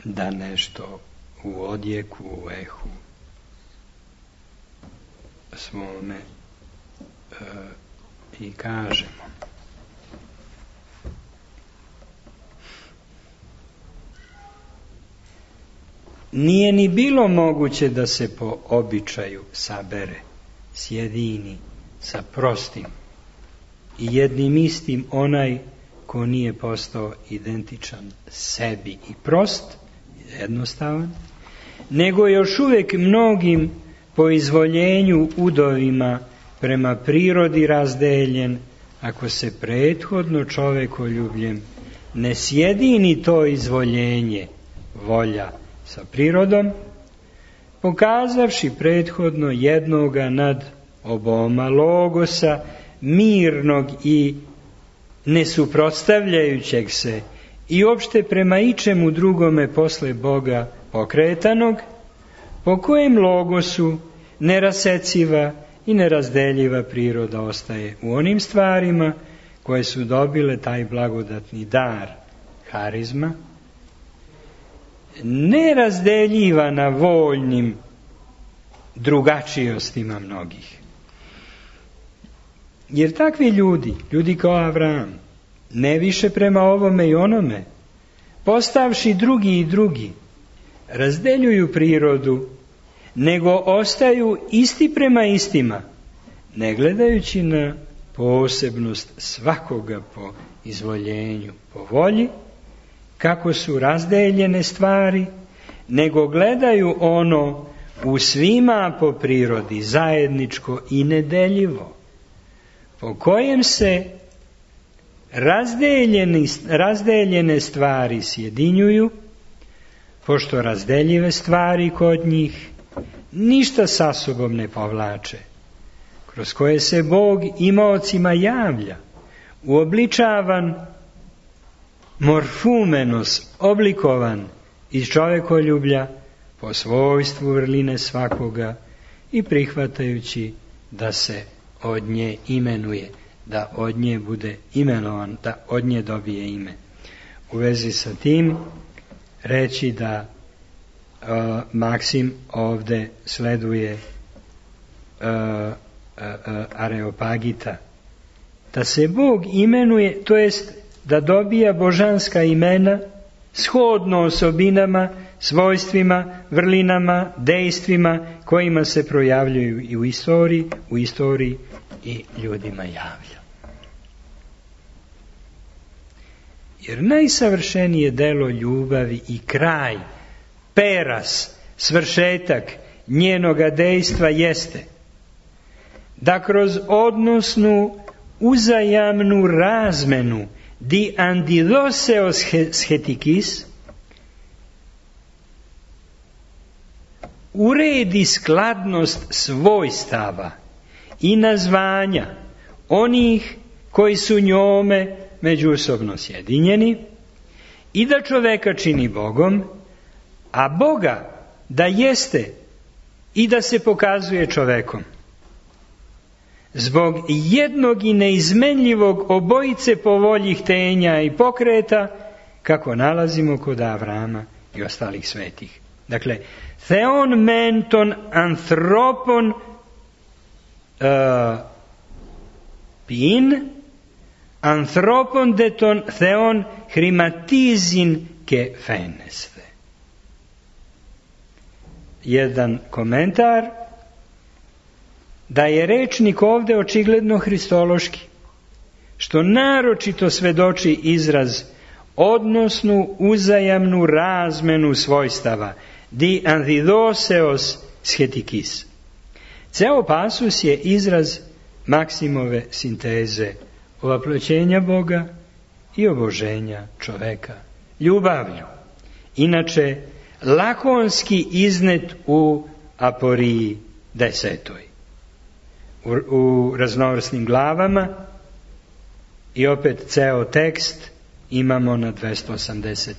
da nešto u odjeku, u ehu svome e, i kažemo. Nije ni bilo moguće da se po običaju sabere, sjedini sa prostim i jednim istim onaj ko nije postao identičan sebi i prost, jednostavan, nego još uvijek mnogim po izvoljenju udovima prema prirodi razdeljen, ako se prethodno čovekoljubljem ne sjedini to izvoljenje, volja sa prirodom, pokazavši prethodno jednoga nad oboma logosa, mirnog i nesuprotstavljajućeg se i opšte prema ičemu drugome posle Boga pokretanog, po kojem logosu neraseciva i nerazdeljiva priroda ostaje u onim stvarima koje su dobile taj blagodatni dar, harizma, nerazdeljiva na voljnim drugačijostima mnogih. Jer takvi ljudi, ljudi kao Avram, ne više prema ovome i onome, postavši drugi i drugi, razdeljuju prirodu, nego ostaju isti prema istima, ne gledajući na posebnost svakoga po izvoljenju, po volji, kako su razdeljene stvari, nego gledaju ono u svima po prirodi zajedničko i nedeljivo, po kojem se razdeljeni, razdeljene stvari sjedinjuju, pošto razdeljive stvari kod njih ništa sa sobom ne povlače, kroz koje se Bog imaocima javlja, uobličavan, morfumenos, oblikovan iz čovekoljublja po svojstvu vrline svakoga i prihvatajući da se od nje imenuje, da od nje bude imenovan, da od nje dobije ime. U vezi sa tim reći da uh, Maksim ovde sleduje uh, uh, uh, Areopagita, da se Bog imenuje, to jest da dobija božanska imena shodno osobinama, svojstvima, vrlinama, dejstvima kojima se projavljuju i u istoriji, u istoriji i ljudima javlja. Jer najsavršenije delo ljubavi i kraj, peras, svršetak njenoga dejstva jeste da kroz odnosnu uzajamnu razmenu di antidoseos schetikis uredi skladnost svojstava i nazvanja onih koji su njome međusobno sjedinjeni i da čoveka čini Bogom, a Boga da jeste i da se pokazuje čovekom. Zbog jednog i neizmenljivog obojice po volji htenja i pokreta, kako nalazimo kod Avrama i ostalih svetih. Dakle, theon menton anthropon uh, pin, anthropon deton theon hrimatizin ke feneste. Jedan komentar, da je rečnik ovde očigledno hristološki, što naročito svedoči izraz odnosnu uzajamnu razmenu svojstava, di antidoseos schetikis. Ceo pasus je izraz Maksimove sinteze ovaploćenja Boga i oboženja čoveka ljubavlju. Inače, lakonski iznet u aporiji desetoj. U, u raznovrsnim glavama i opet ceo tekst imamo na dvesta osamdeset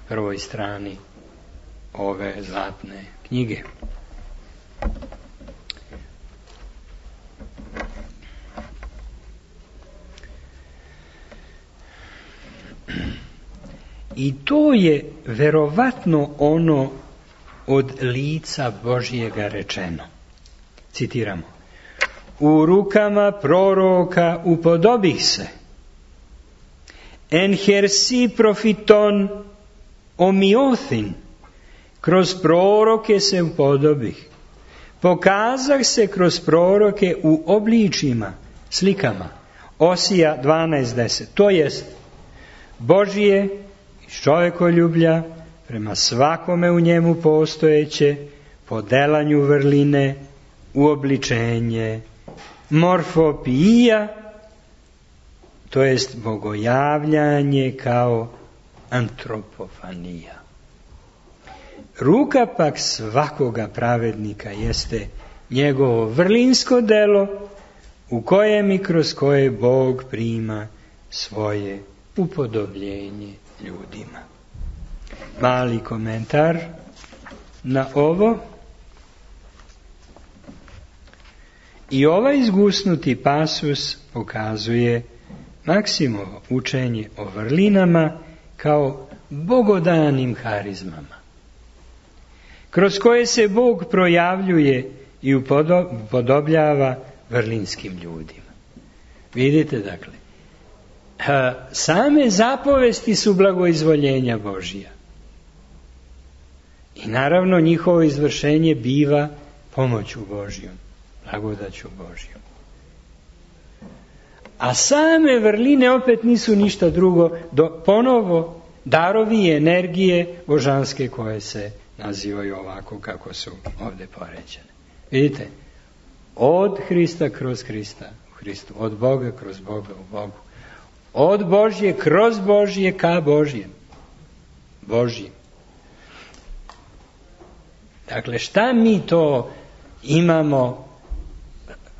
prvoj strani ove zlatne knjige. I to je verovatno ono od lica Božjega rečeno. Citiramo. U rukama proroka upodobih se. En hersi profiton omiothin. Kroz proroke se upodobih. Pokazah se kroz proroke u obličima, slikama. Osija dvanaest deset. To jest, Božije iz čovekoljublja prema svakome u njemu postojeće, po delanju vrline, uobličenje, morfopija, to jest bogojavljanje kao antropofanija. Ruka pak svakoga pravednika jeste njegovo vrlinsko delo u kojem i kroz koje Bog prima svoje upodobljenje ljudima. Mali komentar na ovo. I ovaj izgusnuti pasus pokazuje Maksimovo učenje o vrlinama kao bogodanim harizmama, kroz koje se Bog projavljuje i upodobljava vrlinskim ljudima. Vidite, dakle, same zapovesti su blagoizvoljenja Božija. I naravno njihovo izvršenje biva pomoću Božjom, blagodaću Božjom. A same vrline opet nisu ništa drugo do ponovo darovi i energije božanske koje se nazivaju ovako kako su ovdje poređene. Vidite, od Hrista kroz Hrista u Hristu, od Boga kroz Boga u Bogu, od Božje kroz Božje ka Božjem. Božjem. Dakle, šta mi to imamo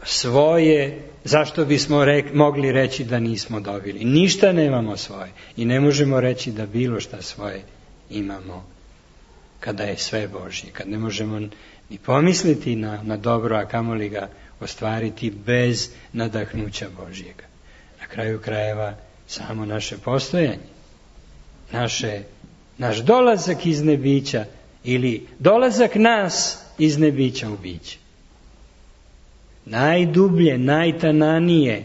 svoje, zašto bismo rek, mogli reći da nismo dobili? Ništa nemamo svoje i ne možemo reći da bilo šta svoje imamo kada je sve Božje, kad ne možemo ni pomisliti na, na dobro, a kamoli ga ostvariti bez nadahnuća Božjega. Na kraju krajeva samo naše postojanje, naše, naš dolazak iz nebića ili dolazak nas iz nebića u biće. Najdublje, najtananije,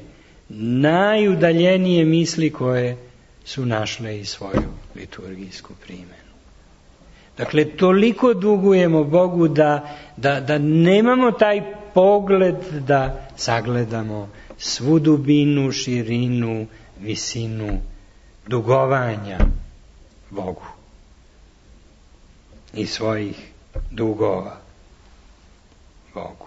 najudaljenije misli koje su našle i svoju liturgijsku primjenu. Dakle, toliko dugujemo Bogu da, da, da nemamo taj pogled da sagledamo svu dubinu, širinu, visinu dugovanja Bogu i svojih dugova Bogu.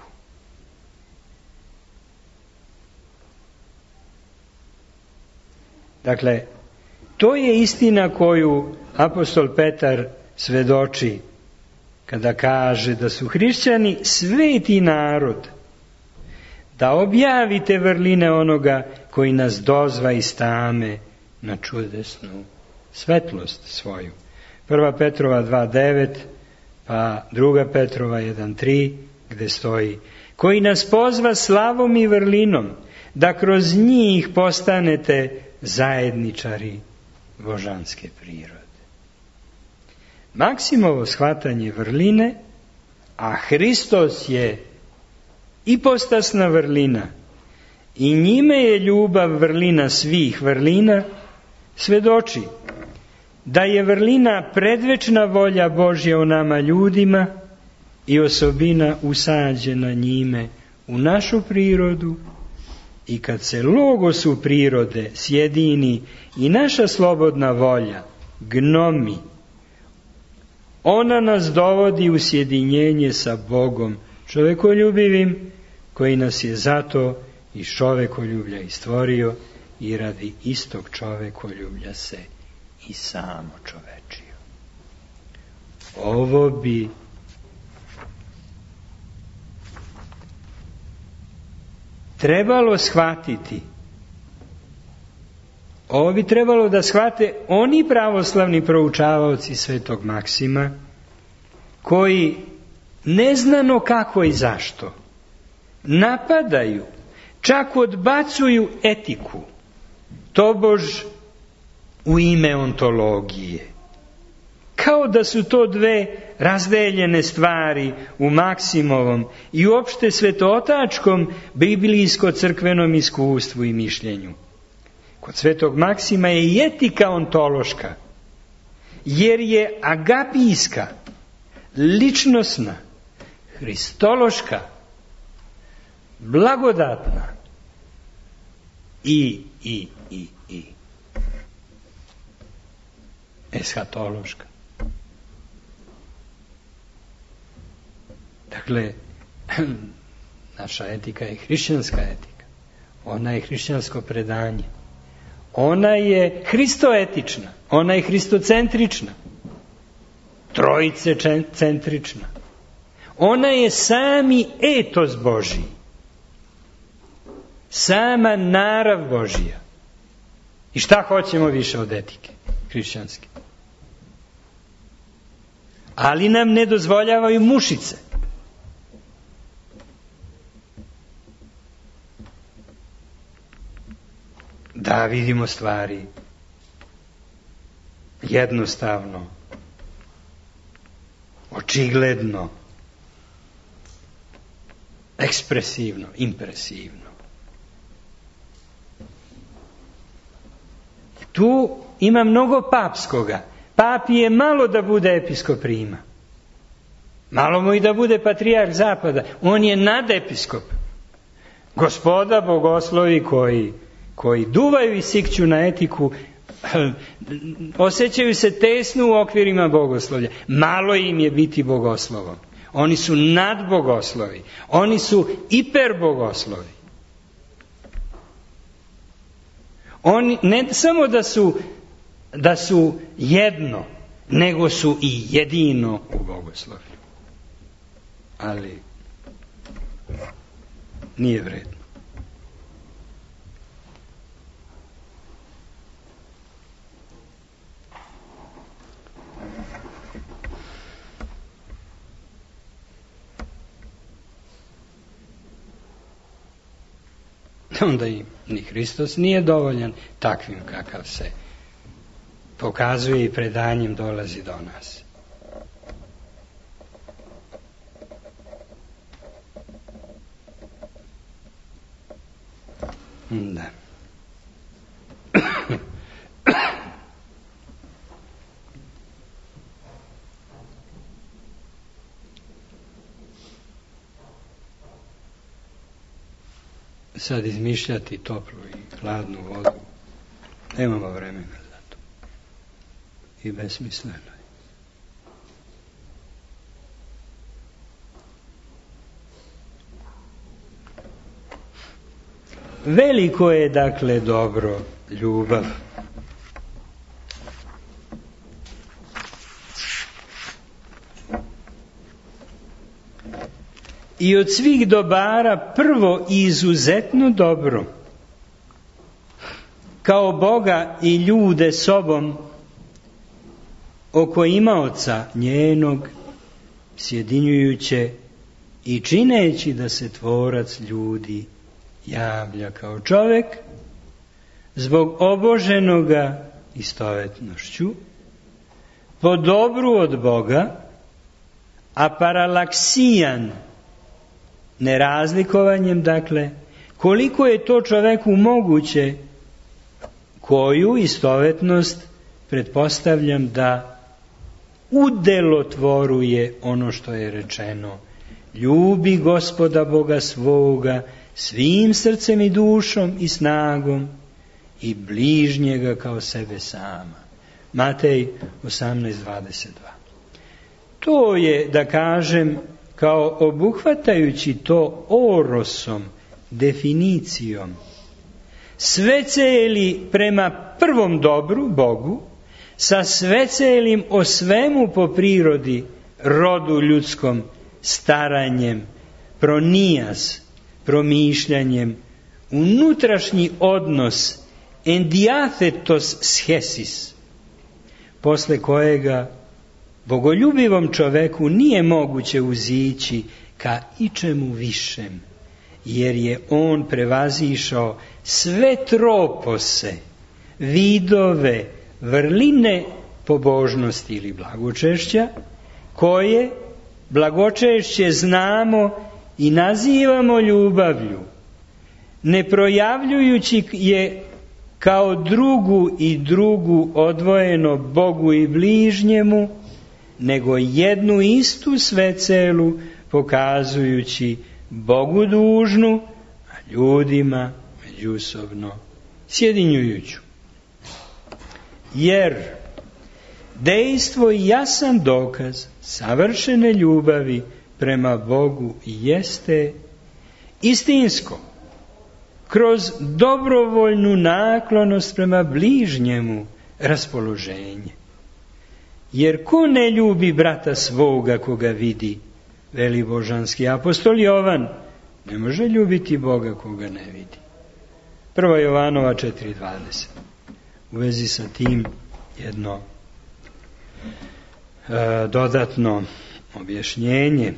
Dakle, to je istina koju apostol Petar svedoči kada kaže da su hrišćani sveti narod, da objavite vrline onoga koji nas dozva iz tame na čudesnu svetlost svoju. Prva Petrova dva devet, pa druga Petrova jedan tri, gde stoji, koji nas pozva slavom i vrlinom, da kroz njih postanete zajedničari božanske prirode. Maksimovo shvatanje vrline, a Hristos je ipostasna vrlina i njime je ljubav vrlina svih vrlina, svedoči da je vrlina predvečna volja Božja u nama ljudima i osobina usađena njime u našu prirodu, i kad se logosu prirode sjedini i naša slobodna volja, gnomi, ona nas dovodi u sjedinjenje sa Bogom čovekoljubivim, koji nas je zato iz čovekoljublja i stvorio i radi istog čovekoljublja se i samo čovečio. Ovo bi trebalo shvatiti. Ovo bi trebalo da shvate oni pravoslavni proučavaoci svetog Maksima, koji neznano kako i zašto napadaju, čak odbacuju etiku, tobož u ime ontologije. kao da su to dve razdeljene stvari u Maksimovom i uopšte svetootačkom biblijsko-crkvenom iskustvu i mišljenju. Kod svetog Maksima je i etika ontološka, jer je agapijska, ličnosna, hristološka, blagodatna i, i, i, i eshatološka. Dakle, naša etika je hrišćanska etika. Ona je hrišćansko predanje. Ona je hristoetična. Ona je hristocentrična. Trojice centrična. Ona je sami etos Božji. Sama narav Božja. I šta hoćemo više od etike hrišćanske? Ali nam ne dozvoljavaju mušice. Da vidimo stvari jednostavno, očigledno, ekspresivno, impresivno. Tu ima mnogo papskoga. Papi je malo da bude episkop Rima. Malo mu i da bude patrijarh Zapada. On je nadepiskop. Gospoda bogoslovi koji, koji duvaju i sikću na etiku, osjećaju se tesno u okvirima bogoslovlja. Malo im je biti bogoslovom. Oni su nadbogoslovi. Oni su hiperbogoslovi. Oni ne samo da su, da su jedno, nego su i jedino u bogoslovlju. Ali nije vredno. Onda i ni Hristos nije dovoljan takvim kakav se pokazuje i predanjem dolazi do nas. Da. Sad izmišljati toplu i hladnu vodu, nemamo vremena za to. I besmisleno je. Veliko je, dakle, dobro ljubav. I od svih dobara prvo i izuzetno dobro, kao Boga i ljude sobom, oko imaoca njenog, sjedinjujuće i čineći da se tvorac ljudi javlja kao čovek, zbog oboženoga istovetnošću, po dobru od Boga, a paralaksijan, nerazlikovanjem, dakle, koliko je to čoveku moguće, koju istovetnost pretpostavljam da udelotvoruje ono što je rečeno: ljubi Gospoda Boga svoga svim srcem i dušom i snagom i bližnjega kao sebe sama. Matej osamnaest dvadeset dva. To je, da kažem, kao obuhvatajući to orosom, definicijom, sveceli prema prvom dobru, Bogu, sa svecelim o svemu po prirodi, rodu ljudskom, staranjem, pronijas, promišljanjem, unutrašnji odnos, endiathetos schesis, posle kojega bogoljubivom čoveku nije moguće uzići ka ičemu višem, jer je on prevazišao sve tropose, vidove, vrline pobožnosti ili blagočešća, koje blagočešće znamo i nazivamo ljubavlju, ne projavljujući je kao drugu i drugu odvojeno Bogu i bližnjemu, nego jednu istu svecelu pokazujući Bogu dužnu, a ljudima međusobno sjedinjujuću. Jer dejstvo i jasan dokaz savršene ljubavi prema Bogu jeste istinsko, kroz dobrovoljnu naklonost prema bližnjemu raspoloženje. Jer ko ne ljubi brata svoga koga vidi, veli božanski apostol Jovan, ne može ljubiti Boga koga ne vidi. Prva Jovanova četiri dvadeset. U vezi sa tim jedno e, dodatno objašnjenje.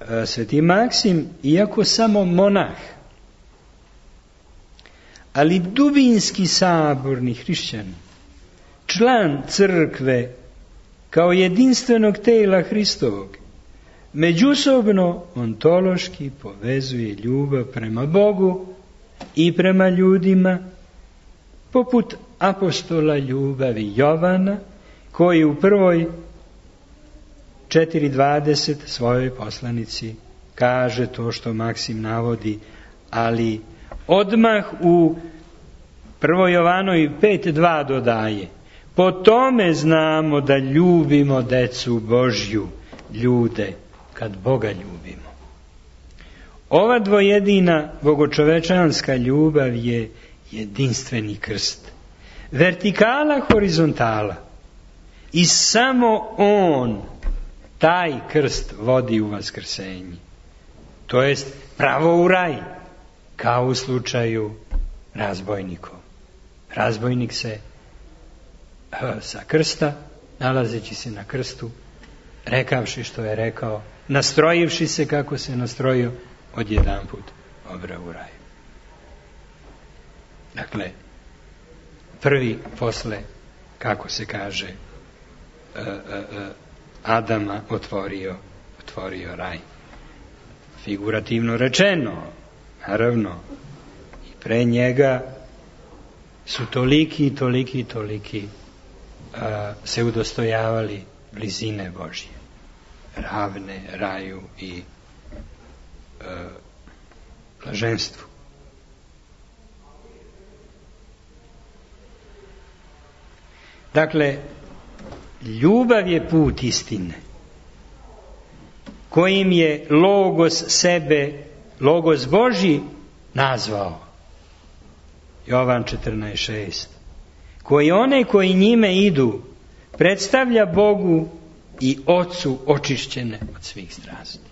E, Sveti Maksim, iako samo monah, ali dubinski saborni hrišćanin, član crkve kao jedinstvenog tela Hristovog, međusobno ontološki povezuje ljubav prema Bogu i prema ljudima, poput apostola ljubavi Jovana, koji u prvoj četiri dvadeset svojoj poslanici kaže to što Maksim navodi, ali odmah u prvoj Jovanoj pet dva dodaje: po tome znamo da ljubimo decu Božju, ljude, kad Boga ljubimo. Ova dvojedina bogočovečanska ljubav je jedinstveni krst, vertikala horizontala, i samo On taj krst vodi u vaskrsenje, to jest pravo u raj, kao u slučaju razbojnikov. Razbojnik se sa krsta, nalazeći se na krstu, rekavši što je rekao, nastrojivši se kako se nastrojio, odjedanput obra u raju. Dakle, prvi posle, kako se kaže, Adama otvorio, otvorio raj. Figurativno rečeno, naravno, i pre njega su toliki, toliki, toliki a, se udostojavali blizine Božje, ravne raju i a, blaženstvu. Dakle, ljubav je put istine, kojim je Logos sebe, Logos Božji nazvao. Jovan četrnaest šest. Koji one koji njime idu predstavlja Bogu i Ocu očišćene od svih strasti.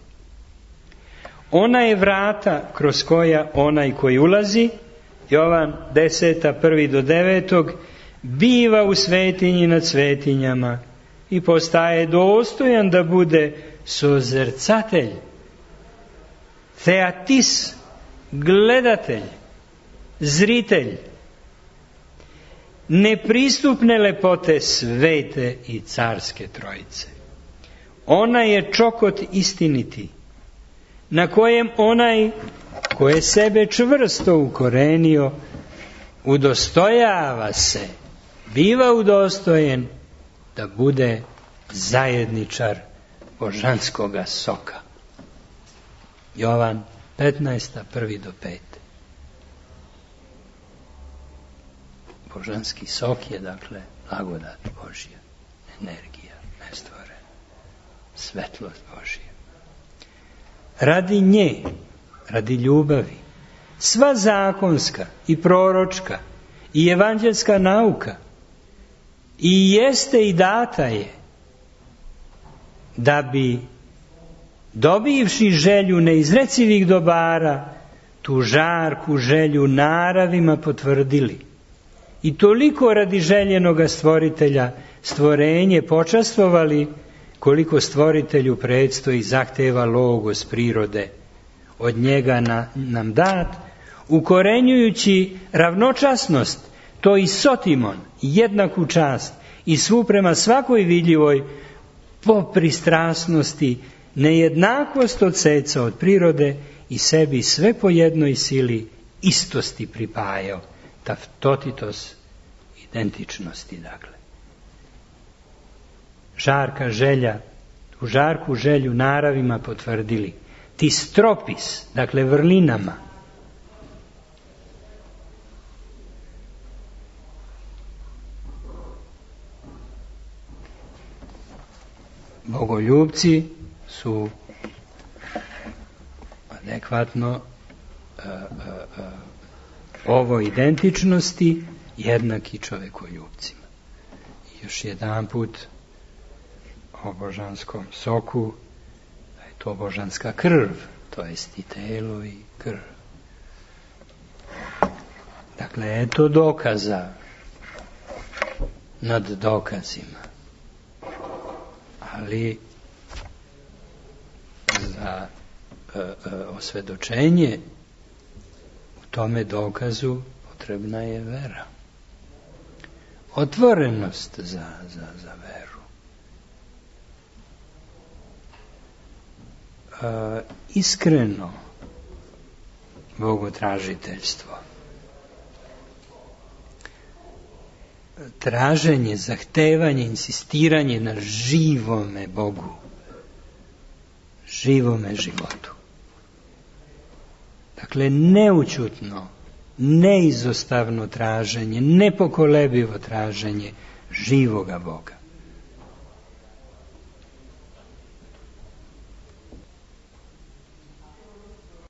Ona je vrata kroz koja onaj koji ulazi, Jovan deset, prvi do devetog, biva u svetinji nad svetinjama i postaje dostojan da bude sozercatelj, theatis, gledatelj, zritelj, nepristupne lepote svete i carske trojice. Ona je čokot istiniti, na kojem onaj ko je sebe čvrsto ukorenio, udostojava se, biva udostojen da bude zajedničar božanskoga soka. Jovan petnaest, prvi do pet. Božanski sok je, dakle, blagodat Božja, energija nestvorena, svetlost Božja. Radi nje, radi ljubavi, sva zakonska i proročka i evanđelska nauka i jeste i data je, da bi, dobivši želju neizrecivih dobara, tu žarku želju naravima potvrdili. I toliko radi željenoga stvoritelja stvorenje počastvovali, koliko stvoritelju predstoji zahteva Logos prirode od njega na, nam dat, ukorenjujući ravnočasnost to i Sotimon jednaku čast i svu prema svakoj vidljivoj po pristrasnosti, nejednakost od seca od prirode i sebi sve po jednoj sili istosti pripajao, taftotitos identičnosti, dakle. Žarka želja, u žarku želju naravima potvrdili, ti stropis, dakle vrlinama. Bogoljubci su adekvatno uh, uh, uh, ovo identičnosti jednaki čovekoljubcima. I još jedan put o božanskom soku, da je to božanska krv, to jest i telo i krv. Dakle, eto dokaza nad dokazima. Ali za e, e, osvedočenje u tome dokazu potrebna je vera. Otvorenost za, za, za veru. E, iskreno bogotražiteljstvo. Traženje, zahtevanje, insistiranje na živome Bogu, živome životu. Dakle, neućutno, neizostavno traženje, nepokolebivo traženje živoga Boga.